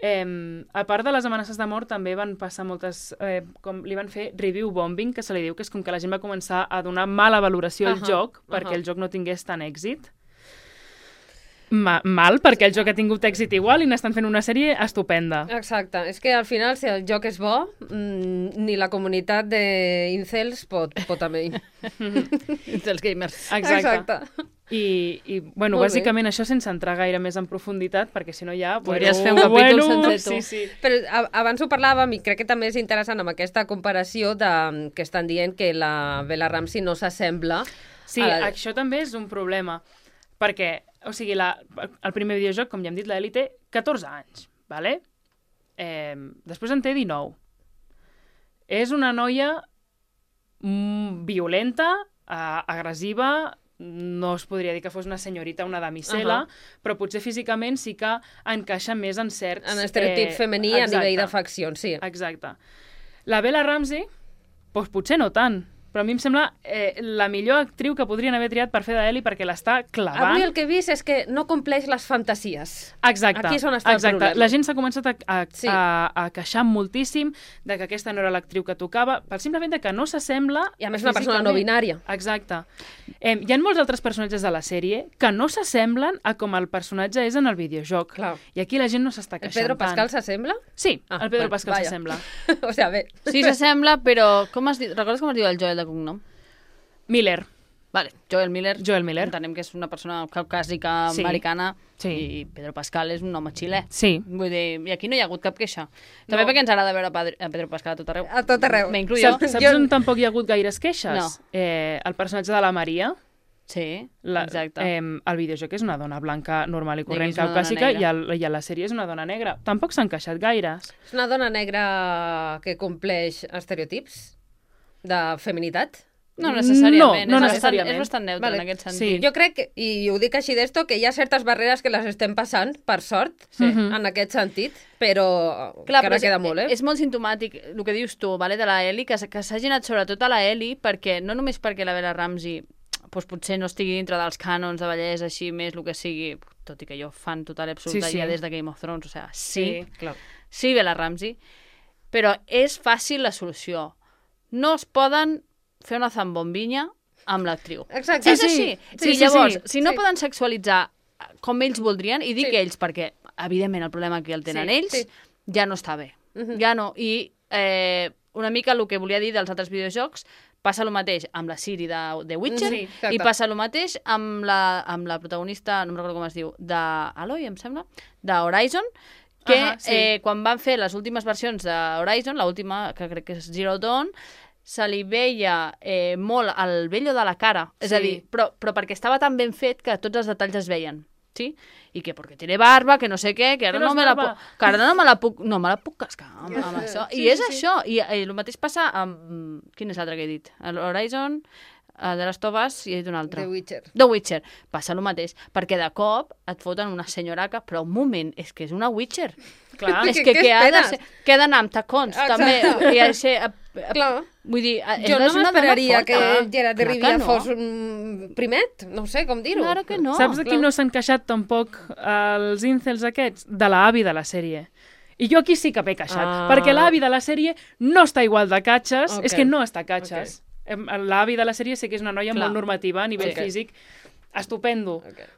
Eh, a part de les amenaces de mort, també van passar moltes... Eh, com li van fer review bombing, que se li diu, que és com que la gent va començar a donar mala valoració al Ahà, joc perquè ahà. el joc no tingués tant èxit. Ma mal, perquè el joc ha tingut èxit igual i n'estan fent una sèrie estupenda. Exacte. És que al final, si el joc és bo, mm, ni la comunitat d'incels pot, pot amb ell. Dels gamers. Exacte. I, i bueno, Molt bé. bàsicament això sense entrar gaire més en profunditat, perquè si no ja... Podries bueno, fer un capítol bueno, sencer, tu. Sí, sí. Però a, abans ho parlàvem i crec que també és interessant amb aquesta comparació de, que estan dient que la Bella Ramsey no s'assembla Sí, a la... això també és un problema, perquè O sigui, la, el primer videojoc, com ja hem dit, l'Eli té catorze anys, vale? Eh, després en té dinou. És una noia mm, violenta, eh, agressiva, no es podria dir que fos una senyorita, una damisela, uh-huh. però potser físicament sí que encaixa més en certs... En estereotip eh, femení exacte. A nivell de faccions, sí. Exacte. La Bella Ramsey, doncs potser no tant, però a mi em sembla eh, la millor actriu que podrien haver triat per fer d'Ellie perquè l'està clavant. Avui el que he vist és que no compleix les fantasies. Exacte. Aquí és on està exacte. el problema. La gent s'ha començat a, a, sí. a, a queixar moltíssim de que aquesta no era l'actriu que tocava, pel simple fet de que no s'assembla... I a més una persona no binària. Exacte. Eh, hi ha molts altres personatges de la sèrie que no s'assemblen a com el personatge és en el videojoc. Clar. I aquí la gent no s'està queixant tant. El Pedro Pascal s'assembla? Sí, ah, el Pedro bueno, Pascal s'assembla. O sigui, bé. Sí, s'assembla, però... Com es diu? Recordes com es diu el Joel de cognom? Miller. Vale, Joel Miller. Joel Miller. Entenem que és una persona caucàsica sí. americana sí. i Pedro Pascal és un home xilè. Sí. Vull dir, i aquí no hi ha hagut cap queixa. També no. perquè ens agrada veure a Pedro Pascal a tot arreu. A tot arreu. M'incluyo. Saps, saps jo... on tampoc hi ha hagut gaires queixes? No. Eh, el personatge de la Maria. Sí, la, exacte. Eh, el videojoc és una dona blanca normal i corrent caucàsica i, el, i a la sèrie és una dona negra. Tampoc s'han queixat gaires. És una dona negra que compleix estereotips de feminitat? No necessàriament, no, no és, necessàriament. Bastant, és bastant neutre vale. En aquest sentit. Sí. Jo crec, i ho dic així d'esto, que hi ha certes barreres que les estem passant, per sort, sí. en aquest sentit, però Clar, encara però queda és, molt, eh? És molt sintomàtic el que dius tu, vale, de la Ellie, que, que s'hagi anat sobretot a la Ellie, perquè no només perquè la Bella Ramsey doncs potser no estigui dintre dels cànons de bellesa, així més el que sigui, tot i que jo fan total i absoluta sí, sí. ja des de Game of Thrones, o sigui, sí, sí, clar. sí Bella Ramsey, però és fàcil la solució. No es poden fer una zambombinya amb l'actriu. Exacte. És sí, així. sí. Sí, sí, llavors, sí, si no sí. poden sexualitzar com ells voldrien, i dic sí. ells perquè, evidentment, el problema que el tenen sí, ells sí. ja no està bé. Uh -huh. Ja no. I eh, una mica el que volia dir dels altres videojocs, passa el mateix amb la Ciri de The Witcher sí, i passa el mateix amb la, amb la protagonista, no em recordo com es diu, d'Aloy, em sembla, d'Horizon, que uh -huh, sí. eh, quan van fer les últimes versions d'Horizon, l'última, que crec que és Zero Dawn, se li veia eh, molt el vello de la cara, és sí. a dir, però, però perquè estava tan ben fet que tots els detalls es veien. Sí? I que perquè tiene barba, que no sé què, que ara no, no me la puc, que ara no me la puc, no me la puc cascar amb, amb això. I sí, és sí, això. I, i el mateix passa amb... Quin és l'altre que he dit? L'Horizon, el de les Tobas i he dit un altre. The Witcher. The Witcher. Passa el mateix. Perquè de cop et foten una senyoraca, però un moment, és que és una Witcher. Clar. És que, que, ha de ser, que ha d'anar amb tacons, exacte. També. I ha de ser... Clar. Vull dir, jo no m'esperaria que Gerard de Rivia no. fos un primet, no sé com dir-ho. Claro que no. Saps de qui no s'han queixat tampoc els incels aquests? De l'avi de la sèrie. I jo aquí sí que m'he queixat, ah. perquè l'avi de la sèrie no està igual de catxes, okay. és que no està catxes. Okay. L'avi de la sèrie sé que és una noia Clar. molt normativa a nivell okay. físic, estupendo. Okay.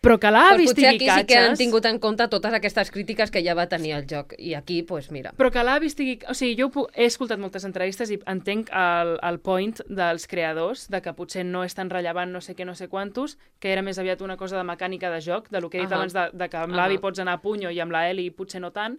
Però que l'avi estigui catxes... Potser aquí catxes, sí que han tingut en compte totes aquestes crítiques que ja va tenir el joc. I aquí, doncs, pues, mira. Però que l'avi estigui... O sigui, jo puc... he escoltat moltes entrevistes i entenc el, el point dels creadors, de que potser no és tan rellevant no sé què, no sé quantos, que era més aviat una cosa de mecànica de joc, de lo que he dit uh -huh. abans, de, de que amb uh -huh. l'avi pots anar a punyo i amb la Ellie potser no tant.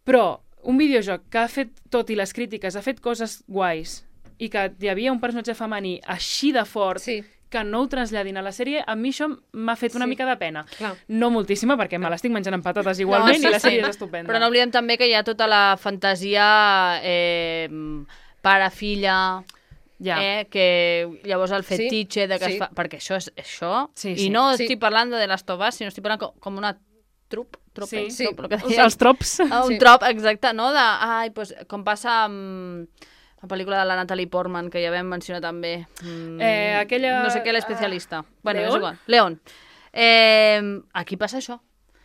Però un videojoc que ha fet, tot i les crítiques, ha fet coses guais i que hi havia un personatge femení així de fort... Sí. que no ho traslladin a la sèrie, a mi això m'ha fet una sí. mica de pena. Clar. No moltíssima, perquè me l'estic menjant amb patates igualment no, sí, i la sèrie sí. és estupenda. Però no oblidem també que hi ha tota la fantasia eh, pare-filla, ja. eh, que llavors el fetitxe sí. de que sí. es fa... Perquè això és això, sí, sí. i no sí. estic parlant de les Tobas, sinó estic parlant com, com una trup, trup, sí. sí. trup, que sí. els trops. Un sí. trop, exacte, no? De, ai, pues, com passa amb... la pel·lícula de la Natalie Portman, que ja vam mencionar també. Mm, eh, aquella... No sé què, l'especialista. Uh, bueno, León? és igual. León. Eh, aquí passa això.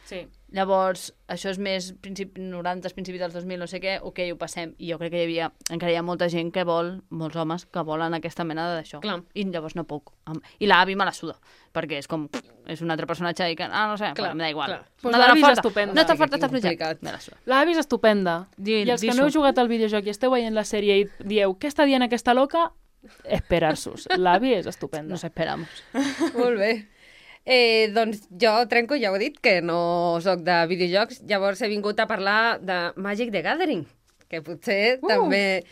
Sí. Llavors, això és més principi, noranta, principi dels dos mil, no sé què, ok, ho passem. I jo crec que hi havia, encara hi ha molta gent que vol, molts homes, que volen aquesta mena d'això. I llavors no puc. I l'avi me la suda, perquè és com, és un altre personatge i que, ah, no sé, clar, m'da igual. Pues l'avi és estupenda. No està forta, està projectat. Me la suda. L'avi és estupenda. Di, I els que no heu jugat al videojoc i esteu veient la sèrie i dieu, què està dient aquesta loca? Esperar-sos. L'avi és estupenda. Nos esperamos. Molt bé. Eh, doncs jo trenco, ja ho he dit, que no sóc de videojocs, llavors he vingut a parlar de Magic the Gathering, que potser uh. també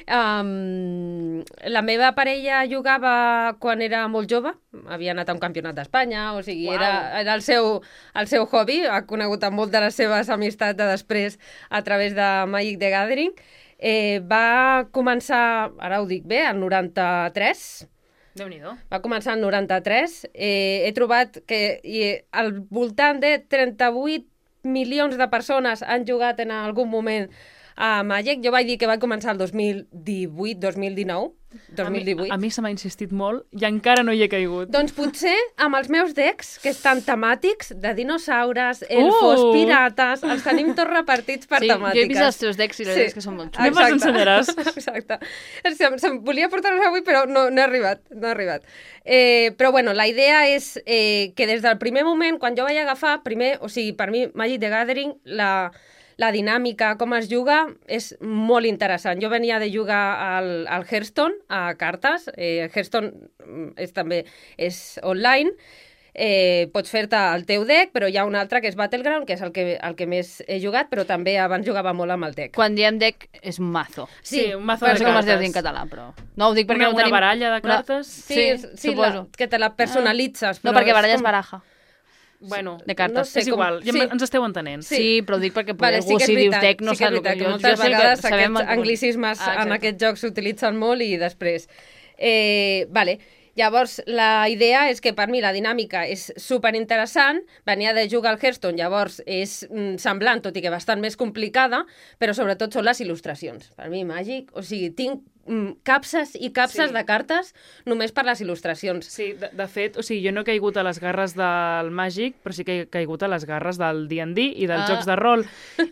Um, la meva parella jugava quan era molt jove, havia anat a un campionat d'Espanya, o sigui, Uau. era, era el, seu, el seu hobby, ha conegut amb molt de les seves amistats de després a través de Magic the Gathering. Eh, va començar, ara ho dic bé, el noranta-tres, Déu-n'hi-do. va començar el noranta-tres. Eh, he trobat que i, al voltant de trenta-vuit milions de persones han jugat en algun moment a Magic. Jo vaig dir que va començar el dos mil divuit, dos mil dinou, dos mil divuit. A mi, a mi se m'ha insistit molt i encara no hi he caigut. Doncs potser amb els meus decks, que estan temàtics, de dinosaures, elfos, Uh! pirates, els tenim tots repartits per Sí, temàtiques. jo he vist els teus decks i la veritat és que són molt xulos. Anem, ens ensenyaràs. Exacte. Se'm, se'm volia portar-los avui, però no, no he arribat. No he arribat. Eh, però bueno, la idea és eh, que des del primer moment, quan jo vaig agafar, primer, o sigui, per mi, Magic the Gathering, la, la dinàmica, com es juga, és molt interessant. Jo venia de jugar al, al Hearthstone, a cartes. Eh, Hearthstone és, també és online. Eh, pots fer-te el teu deck, però hi ha un altre que és Battleground, que és el que, el que més he jugat, però també abans jugava molt amb el deck. Quan diem deck, és un mazo. Sí, un mazo No de sé com es deu cartes. dir en català, però... No ho dic perquè Una, no una tenim... baralla de cartes? Sí, Sí, sí, suposo. la, que te la personalitzes. No, però perquè baralla és com- baraja. Bueno, De cartes. No sé és com- igual, ja sí. ens esteu entenent. Sí, sí però ho dic perquè Vale, vale, sí algú que és si dius veritat, deck no sí que és sap el que... veritat, que Jo, moltes jo sé que vegades sabem aquests el que- anglicismes Ah, en exacte. aquests jocs s'utilitzen molt i després... Eh, vale, llavors la idea és que per mi la dinàmica és superinteressant, venia de jugar al Hearthstone, llavors és mm, semblant, tot i que bastant més complicada, però sobretot són les il·lustracions. Per mi, Magic, o sigui, tinc mm, capses i capses Sí. de cartes només per les il·lustracions. Sí, de, de fet, o sigui, jo no he caigut a les garres del Magic, però sí que he caigut a les garres del D and D i dels Ah. jocs de rol.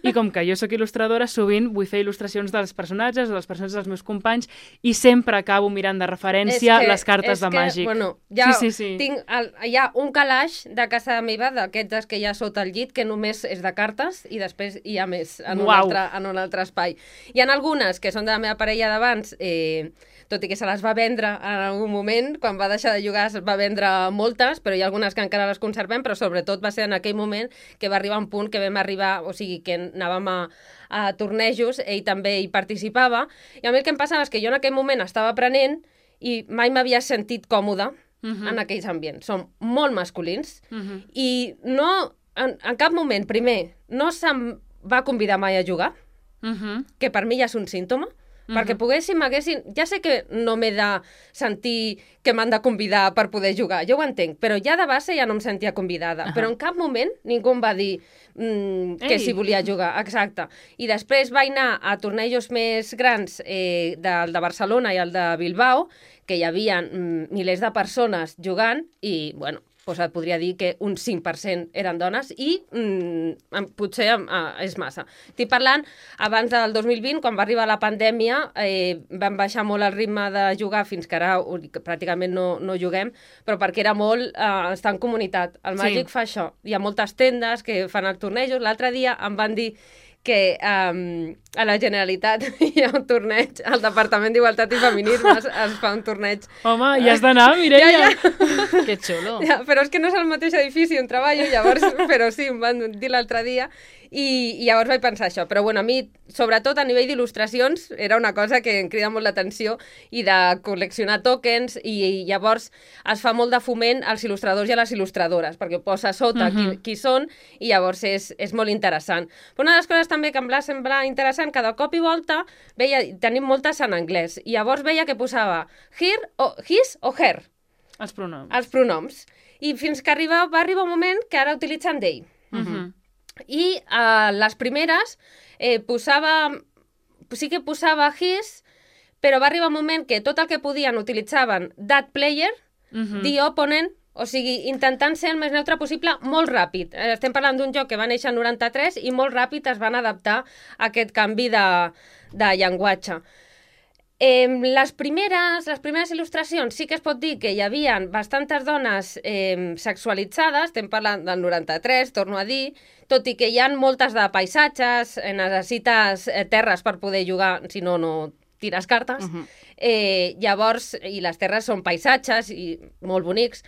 I com que jo sóc il·lustradora, sovint vull fer il·lustracions dels personatges o dels personatges dels meus companys i sempre acabo mirant de referència És que- les cartes és de que, Magic. Bueno, ja sí, sí, sí. tinc el, hi ha un calaix de casa meva, d'aquests que hi ha sota el llit, que només és de cartes i després hi ha més en un, Uau. altre, en un altre espai. Hi ha algunes que són de la meva parella d'abans, eh, tot i que se les va vendre en algun moment, quan va deixar de jugar es va vendre moltes, però hi ha algunes que encara les conservem, però sobretot va ser en aquell moment que va arribar un punt que vam arribar, o sigui, que anàvem a, a tornejos, ell també hi participava, i a mi el que em passava és que jo en aquell moment estava aprenent i mai m'havia sentit còmoda Mhm. en aquells ambients. Són molt masculins Mhm. i no, en, en cap moment, primer, no se'm va convidar mai a jugar, Mhm. que per mi ja és un símptoma, perquè poguessin, m'haguessin... Ja sé que no m'he de sentir que m'han de convidar per poder jugar, jo ho entenc, però ja de base ja no em sentia convidada. Ahà. Però en cap moment ningú em va dir mm, que Ei. si volia jugar, exacte. I després vaig anar a tornejos més grans, eh, del de Barcelona i el de Bilbao, que hi havia mm, milers de persones jugant i, bueno, doncs et podria dir que un cinc per cent eren dones i mm, em- potser em, eh, és massa. Estic parlant abans del dos mil vint, quan va arribar la pandèmia, eh, vam baixar molt el ritme de jugar fins que ara ho- que pràcticament no, no juguem, però perquè era molt eh, estar en comunitat. El Sí. Magic fa això. Hi ha moltes tendes que fan els tornejos. L'altre dia em van dir que um, a la Generalitat hi ha un torneig, al Departament d'Igualtat i Feminismes es fa un torneig. Home, hi has d'anar, Mireia. Ja, ja. Que xulo. Ja, però és que no és el mateix edifici on treballo, llavors, però sí, em van dir l'altre dia, i, i llavors vaig pensar això. Però bueno, a mi, sobretot a nivell d'il·lustracions, era una cosa que em crida molt l'atenció, i de col·leccionar tokens, i, i llavors es fa molt de foment als il·lustradors i a les il·lustradores, perquè ho posa a sota qui, qui són, i llavors és, és molt interessant. Però una de les coses també que em va semblar interessant, que de cop i volta veia, tenim moltes en anglès, i llavors veia que posava her, o his o her, Els pronoms. els pronoms. I fins que arriba, va arribar un moment que ara utilitzen they. Mhm. I uh, les primeres eh, posava... Sí que posava his, però va arribar un moment que tot el que podien utilitzaven that player, Mhm. the opponent, o sigui, intentant ser el més neutre possible molt ràpid. Eh, Estem parlant d'un joc que va néixer en noranta-tres i molt ràpid es van adaptar a aquest canvi de, de llenguatge. Eh, les, primeres, les primeres il·lustracions sí que es pot dir que hi havia bastantes dones eh, sexualitzades, estem parlant del noranta-tres, torno a dir, tot i que hi ha moltes de paisatges, eh, necessites eh, terres per poder jugar, si no, no tires cartes. Mhm. eh, llavors, i les terres són paisatges i molt bonics,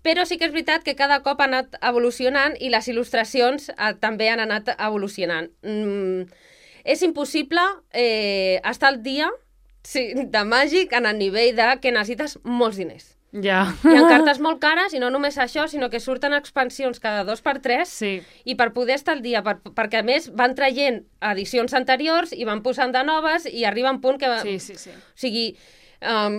però sí que és veritat que cada cop ha anat evolucionant i les il·lustracions eh, també han anat evolucionant. Mm, és impossible eh, estar al dia sí, de màgic en el nivell de que necessites molts diners. Ja. Hi ha cartes molt cares i no només això, sinó que surten expansions cada dos per tres Sí. i per poder estar al dia, per, perquè a més van traient edicions anteriors i van posant de noves i arriba un punt que... Sí, sí, sí. O sigui, um,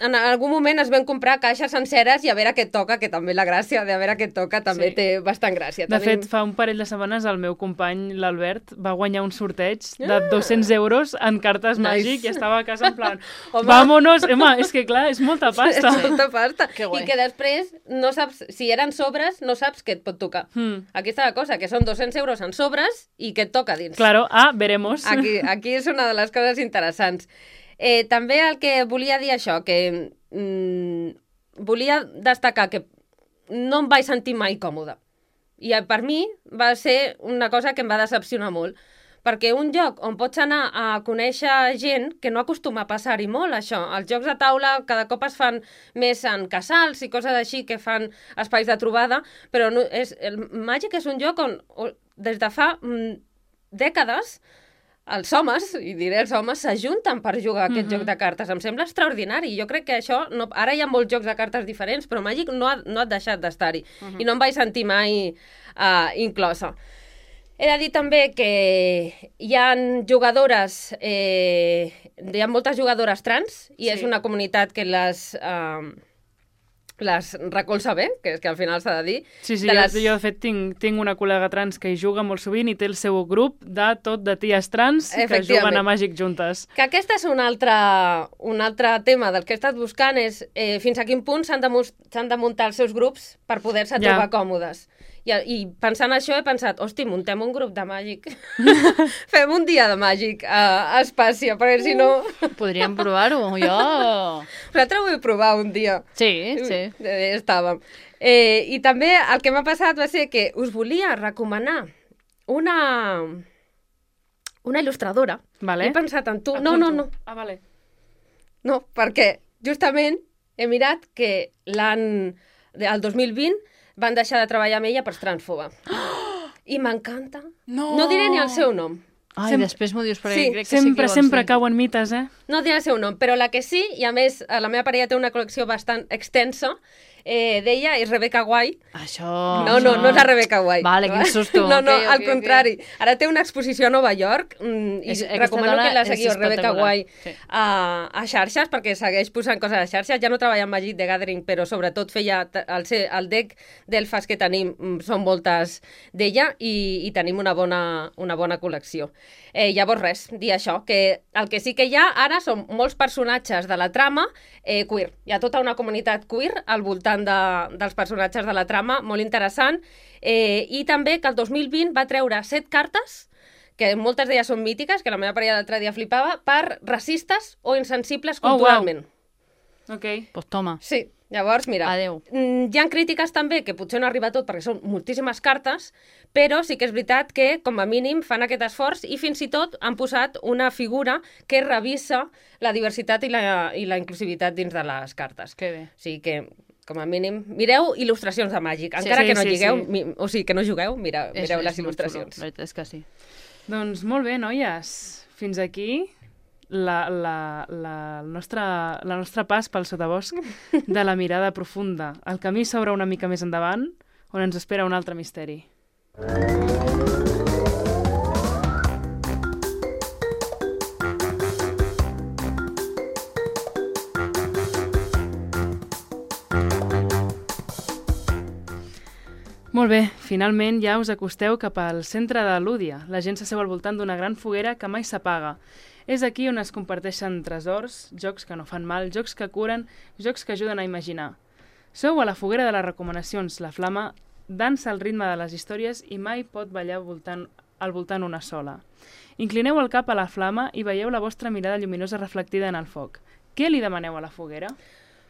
en algun moment es van comprar caixes senceres i a veure què et toca, que també la gràcia de a veure què et toca també Sí. té bastant gràcia. De Tenim... fet, fa un parell de setmanes el meu company, l'Albert, va guanyar un sorteig de dos-cents euros en cartes Nice. màgic i estava a casa en plan, Home. vámonos! Home, és que clar, és molta pasta. És molta pasta. Que guai. I que després no saps, si eren sobres, no saps què et pot tocar. Hmm. Aquí està la cosa, que són dos-cents euros en sobres i què et toca dins. Claro, ah, veremos. Aquí, aquí és una de les coses interessants. Eh, també el que volia dir això, que mm, volia destacar que no em vaig sentir mai còmoda. I eh, per mi va ser una cosa que em va decepcionar molt. Perquè un lloc on pots anar a conèixer gent que no acostuma a passar-hi molt, això. Els jocs de taula cada cop es fan més en casals i coses així que fan espais de trobada, però no, és, el Màgic és un lloc on, on des de fa mm, dècades els homes, i diré els homes, s'ajunten per jugar a aquest Mhm. joc de cartes. Em sembla extraordinari. Jo crec que això... No, ara hi ha molts jocs de cartes diferents, però Màgic no ha, no ha deixat d'estar-hi. Mhm. I no em vaig sentir mai uh, inclosa. He de dir també que hi ha jugadores, eh, hi ha moltes jugadores trans, i Sí. és una comunitat que les... Uh, les recolza bé, que és que al final s'ha de dir. Sí, sí, de jo, les... jo de fet tinc, tinc una col·lega trans que hi juga molt sovint i té el seu grup de tot de ties trans que Efectivament. juguen a Màgic juntes. Que aquest és un altre, un altre tema del que he estat buscant, és eh, fins a quin punt s'han de, mus- s'han de muntar els seus grups per poder-se Ja. trobar còmodes. I, I pensant això he pensat, hosti, muntem un grup de màgic. Fem un dia de màgic a, a Espàcia, perquè si no... Podríem provar-ho, jo... Nosaltres ho vull provar un dia. Sí, sí. Eh, estàvem. Eh, I també el que m'ha passat va ser que us volia recomanar una, una il·lustradora. Vale. He pensat en tu. No, no, no. Ah, vale. No, perquè justament he mirat que l'any... el dos mil vint van deixar de treballar amb ella per transfoba. I m'encanta. No! No diré ni el seu nom. Ai, Sem- després m'ho dius, perquè Sí, crec que sí que Sempre, vols sempre dir. cauen mites, eh? No diré el seu nom, però la que sí, i a més la meva parella té una col·lecció bastant extensa, eh, d'ella és Rebecca White. Això... No, no, no és la Rebecca White. Vale, quin susto. No, no, Ok, ok, al ok. contrari. Ara té una exposició a Nova York mm, i És- aquesta recomano dona que la és seguiu, Rebecca espectacular. White, Sí. a, a xarxes, perquè segueix posant coses a xarxes. Ja no treballa amb Magic the Gathering, però sobretot feia t- el, se- el deck d'elfes que tenim, mm, són moltes d'ella i, i tenim una bona, una bona col·lecció. Eh, llavors res, dir això, que el que sí que hi ha ara són molts personatges de la trama eh, queer. Hi ha tota una comunitat queer al voltant de, dels personatges de la trama, molt interessant, eh, i també que el dos mil vint va treure set cartes, que moltes d'elles són mítiques, que la meva parella l'altre dia flipava, per racistes o insensibles Oh, culturalment. Ok. Pues toma. Sí, llavors, mira, Adeu. mm, hi ha crítiques també, que potser no arriba a tot perquè són moltíssimes cartes, però sí que és veritat que, com a mínim, fan aquest esforç i fins i tot han posat una figura que revisa la diversitat i la, i la inclusivitat dins de les cartes. Que bé. O sigui que, com a mínim, mireu il·lustracions de Màgic. Sí, Encara sí, que no sí, lligueu, sí. mi, o sigui, que no jugueu, mira, És- mireu és les molt il·lustracions. xulo, la veritat és que sí. Doncs molt bé, noies. Fins aquí la, la, la, el nostre, la nostra pas pel sotabosc de la mirada profunda. El camí s'obre una mica més endavant, on ens espera un altre misteri. Molt bé, finalment ja us acosteu cap al centre de Lúdia. La gent s'asseu al voltant d'una gran foguera que mai s'apaga. És aquí on es comparteixen tresors, jocs que no fan mal, jocs que curen, jocs que ajuden a imaginar. Sou a la foguera de les recomanacions. La flama dansa al ritme de les històries i mai pot ballar voltant, al voltant una sola. Inclineu el cap a la flama i veieu la vostra mirada lluminosa reflectida en el foc. Què li demaneu a la foguera?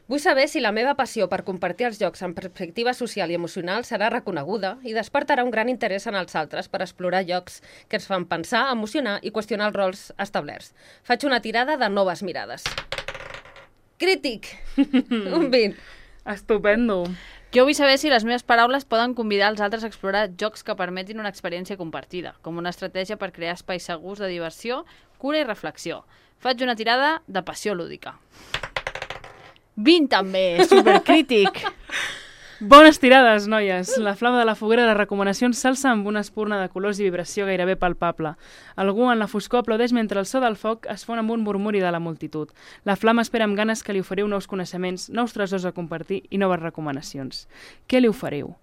Vull saber si la meva passió per compartir els jocs en perspectiva social i emocional serà reconeguda i despertarà un gran interès en els altres per explorar llocs que ens fan pensar, emocionar i qüestionar els rols establerts. Faig una tirada de noves mirades. Crític! Un vint. Estupendo! Jo vull saber si les meves paraules poden convidar els altres a explorar jocs que permetin una experiència compartida, com una estratègia per crear espais segurs de diversió, cura i reflexió. faig una tirada de passió lúdica. vint també, supercrític. Bones tirades, noies. La flama de la foguera de recomanacions s'alça amb una espurna de colors i vibració gairebé palpable. Algú en la foscor aplaudeix mentre el so del foc es fon amb un murmuri de la multitud. La flama espera amb ganes que li oferiu nous coneixements, nous tresors a compartir i noves recomanacions. Què li oferiu?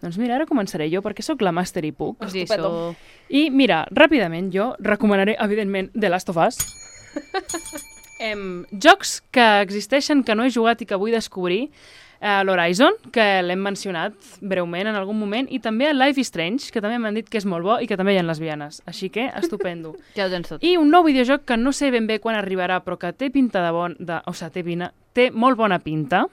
Doncs mira, ara començaré jo, perquè sóc la màster i puc. Sí, Estupendo. so... I mira, ràpidament jo recomanaré, evidentment, The Last of Us. em, jocs que existeixen, que no he jugat i que vull descobrir. Uh, l'Horizon, que l'hem mencionat breument en algun moment, i també el Life is Strange, que també m'han dit que és molt bo i que també hi ha lesbianes. Així que, estupendo. Ja ho tens tot. I un nou videojoc que no sé ben bé quan arribarà, però que té pinta de bon... De, o sigui, té, vina, té molt bona pinta,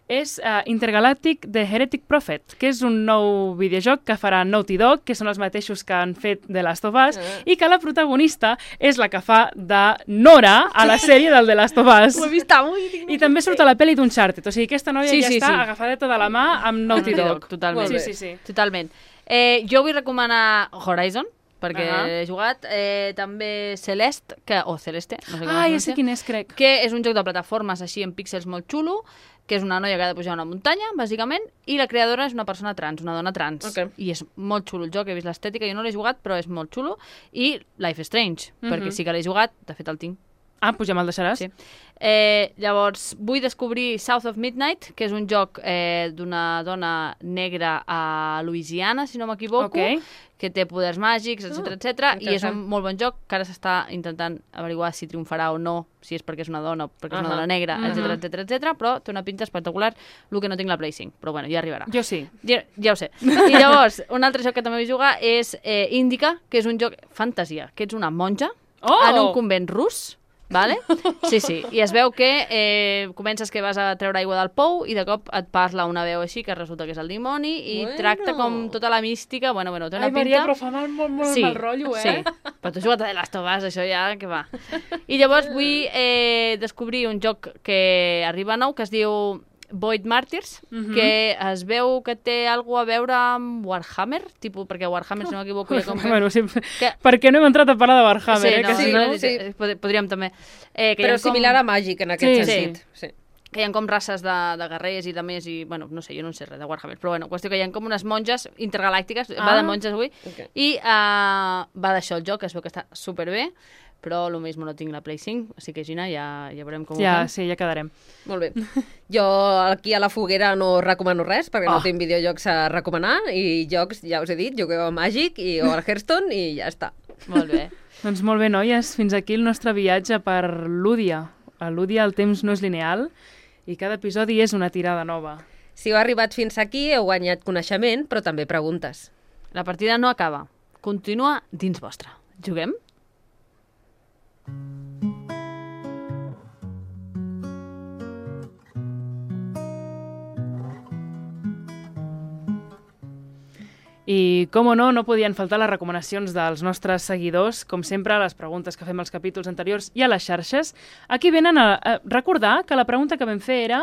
és uh, Intergalactic The Heretic Prophet, que és un nou videojoc que farà Naughty Dog, que són els mateixos que han fet The Last of Us, uh. i que la protagonista és la que fa de Nora a la sèrie del The Last of Us. Ho he vist avui. I també surt a la pel·li d'Uncharted, o sigui, aquesta noia Sí, ja sí, està sí. agafadeta de la mà amb Naughty Naughty Dog. Dog, totalment. Sí, sí, sí. Totalment. Eh, jo vull recomanar Horizon, perquè Uh -huh. he jugat. Eh, també Celeste, que, o Celeste, no sé com Ah, es ja sé pronuncia, quin és, crec. que és un joc de plataformes així en píxels molt xulo, que és una noia que ha de pujar una muntanya, bàsicament, i la creadora és una persona trans, una dona trans. Ok. I és molt xulo el joc, he vist l'estètica, jo no l'he jugat, però és molt xulo. I Life is Strange, Mhm. perquè sí que l'he jugat, de fet el tinc. Ah, doncs ja me'l deixaràs. Sí. Eh, llavors, vull descobrir South of Midnight, que és un joc eh, d'una dona negra a Louisiana, si no m'equivoco, Ok. que té poders màgics, etcètera, Ah, etcètera, i és interessant. un molt bon joc que ara s'està intentant averiguar si triomfarà o no, si és perquè és una dona o perquè és una Ahà. dona negra, Mhm. etcètera, etcètera, etcètera, però té una pinta espectacular, el que no tinc la Play cinc, però bueno, ja arribarà. Jo sí. Ja, ja ho sé. I llavors, un altre joc que també vull jugar és eh, Indica, que és un joc fantasia, que ets una monja Oh! en un convent rus, vale? Sí, sí. I es veu que eh, comences que vas a treure aigua del pou i de cop et parla una veu així que resulta que és el dimoni i Bueno. tracta com tota la mística. Bueno, bueno, té una Ai, pinta... Maria, però fa mal, molt, molt sí, mal rotllo, eh? Sí, però tu has jugat a The Last of Us, això ja, que va. I llavors vull eh, descobrir un joc que arriba nou, que es diu Void Martyrs, Mhm. que es veu que té alguna a veure amb Warhammer, tipus, perquè Warhammer, si no m'equivoco, ja com que... Bueno, sí, que... per què no hem entrat a parlar de Warhammer, sí, eh? no, que sí, si no, no... no? sí. Pod- podríem també. Eh, que hi Però ha com- similar a Màgic, en aquest Sí, sentit. Sí. que hi ha com races de, de guerrers i de més, i, bueno, no sé, jo no en sé res de Warhammer, però bueno, qüestió que hi ha com unes monges intergalàctiques, Ah. va de monges avui, Ok. i uh, va d'això el joc, que es veu que està superbé, però lo mismo no tinc la Play cinc, així que Gina, ja, ja veurem com ho Ja, fem. sí, ja quedarem. Molt bé. Jo aquí a la foguera no recomano res, perquè Oh. no tinc videojocs a recomanar, i jocs, ja us he dit, jugueu a Magic i o al Hearthstone i ja està. Molt bé. Doncs molt bé, noies, fins aquí el nostre viatge per Lúdia. A Lúdia el temps no és lineal i cada episodi és una tirada nova. Si heu arribat fins aquí, heu guanyat coneixement, però també preguntes. La partida no acaba, continua dins vostra. Juguem? I, com o no, no podien faltar les recomanacions dels nostres seguidors, com sempre, les preguntes que fem als capítols anteriors i a les xarxes. Aquí venen a, a recordar que la pregunta que vam fer era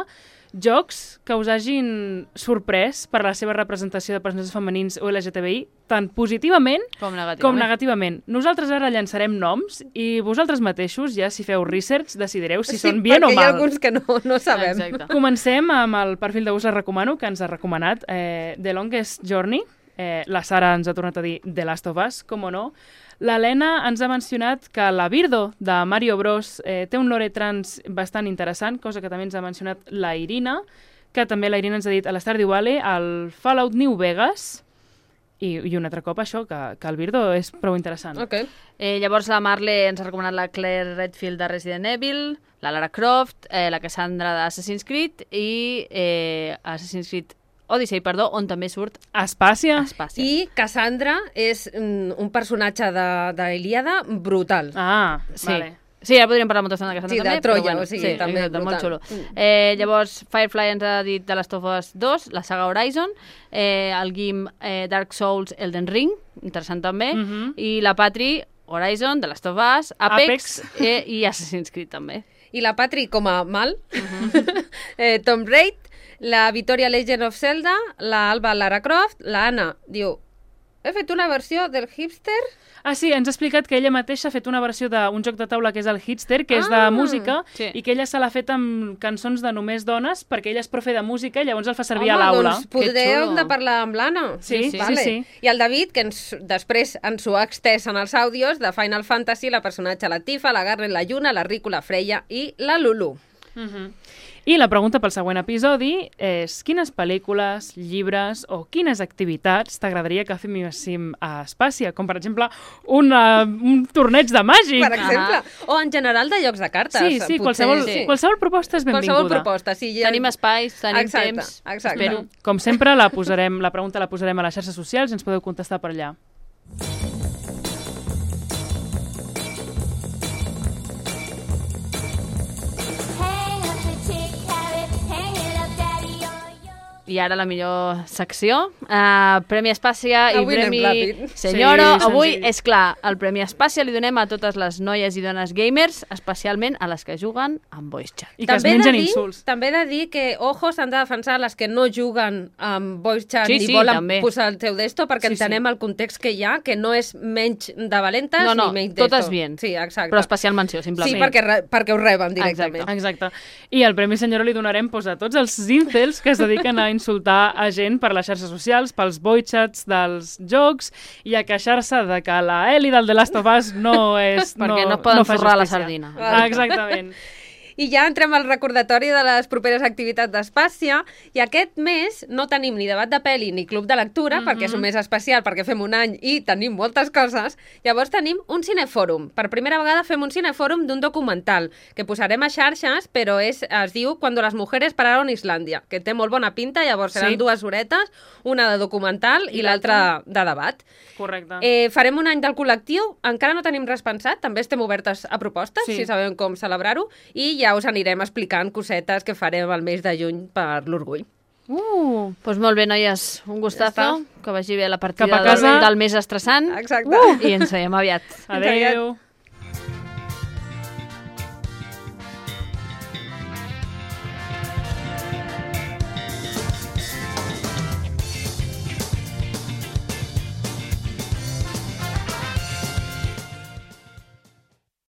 jocs que us hagin sorprès per la seva representació de personatges femenins o L G T B I, tant positivament Com negativament. com negativament. Nosaltres ara llançarem noms i vosaltres mateixos, ja si feu research, decidireu si són bien o perquè hi ha mal. alguns que no, no sabem. Exacte. Comencem amb el perfil de Us la recomano, que ens ha recomanat eh, The Longest Journey. Eh, la Sara ens ha tornat a dir The Last of Us, com o no. L'Helena ens ha mencionat que la Birdo de Mario Bros eh, té un lore trans bastant interessant, cosa que també ens ha mencionat la Irina, que també la Irina ens ha dit a l'Stardew Valley, al Fallout New Vegas, i, i un altre cop això, que, que el Birdo és prou interessant. Ok. Eh, llavors la Marle ens ha recomanat la Claire Redfield de Resident Evil, la Lara Croft, eh, la Cassandra d'Assassin's Creed i eh, Assassin's Creed Odyssey, perdó, on també surt Espàcia. Espàcia. I Cassandra és mm, un personatge de, de l'Ilíada brutal. Ah, Sí. vale. Sí, ara podríem parlar molta estona de Cassandra Sí, de també, Troia, però bueno, o sigui, sí, també exacte, molt xulo. brutal. Mm. Eh, llavors, Firefly ens ha dit de Last of Us dos, la saga Horizon, eh, el Guim eh, Dark Souls Elden Ring, interessant també, Mhm. i la Patri Horizon, de Last of Us, Apex, Apex. Eh, i Assassin's Creed també. I la Patri com a mal, eh, Tomb Raider, la Victoria Legend of Zelda, la Alba Lara Croft, la Anna diu he fet una versió del hipster. Ah, sí, ens ha explicat que ella mateixa ha fet una versió d'un joc de taula que és el Hitster, que és de Ah, música, sí. i que ella se l'ha fet amb cançons de només dones, perquè ella és profe de música i llavors el fa servir Home, a l'aula. doncs podreu xulo. de parlar amb l'Anna. Sí, sí, vale. sí, sí. I el David, que ens, després ens ho ha extès en els àudios de Final Fantasy, la personatge la Tifa, la Garren, la Lluna, la Riku, la Freya i la Lulu. Uh-huh. I la pregunta pel següent episodi és quines pel·lícules, llibres o quines activitats t'agradaria que féssim a Espàcia? Com, per exemple, una, un torneig de màgic. Per exemple. O en general de jocs de cartes. Sí, sí, potser. qualsevol, Sí. qualsevol proposta és benvinguda. Qualsevol proposta, sí. Ja... Tenim espais, tenim Exacte, temps. exacte. Espero. Com sempre, la, posarem, la pregunta la posarem a les xarxes socials i ens podeu contestar per allà. Hang up the chick carrot, hang it up, daddy, yo, yo. I ara la millor secció, uh, Premi Espàcia i Avui anem Premi ràpid. Senyoro. Sí, Avui, senzill. és clar, el Premi Espàcia li donem a totes les noies i dones gamers, especialment a les que juguen amb voice chat. I que es També he de mengen dir- insults. També he de dir que, ojo, s'han de defensar les que no juguen amb voice chat Sí, ni sí, volen també. posar el seu desto, perquè Sí, sí. entenem el context que hi ha, que no és menys de valentes No, no, ni menys totes desto. bien. Sí, exacte. Però especial menció, Sí, simplement. perquè, re- perquè ho reben directament. Exacte. I el Premi Senyora li donarem pues, a tots els incels que es dediquen a insultar a gent per les xarxes socials, pels boichats dels jocs i a queixar-se de que la Ellie del The Last of Us no és... Perquè no poden fa forrar la justícia. sardina. Ah, exactament. I ja entrem al recordatori de les properes activitats d'Espàcia, i aquest mes no tenim ni debat de pel·li ni club de lectura, Mhm. perquè és un mes especial, perquè fem un any i tenim moltes coses. Llavors tenim un cinefòrum. Per primera vegada fem un cinefòrum d'un documental, que posarem a xarxes, però és, es diu Cuando las mujeres pararon Islàndia, que té molt bona pinta, llavors seran Sí. dues horetes, una de documental i, I l'altra de debat. Correcte. Eh, farem un any del col·lectiu, encara no tenim res pensat, també estem obertes a propostes, Sí. si sabem com celebrar-ho, i ja us anirem explicant cosetes que farem el mes de juny per l'orgull. Uh, Doncs molt bé, noies, un gustazo, Ja que vagi bé la partida Cap a casa. del, del més estressant. Exacte. I ens veiem aviat. adeu.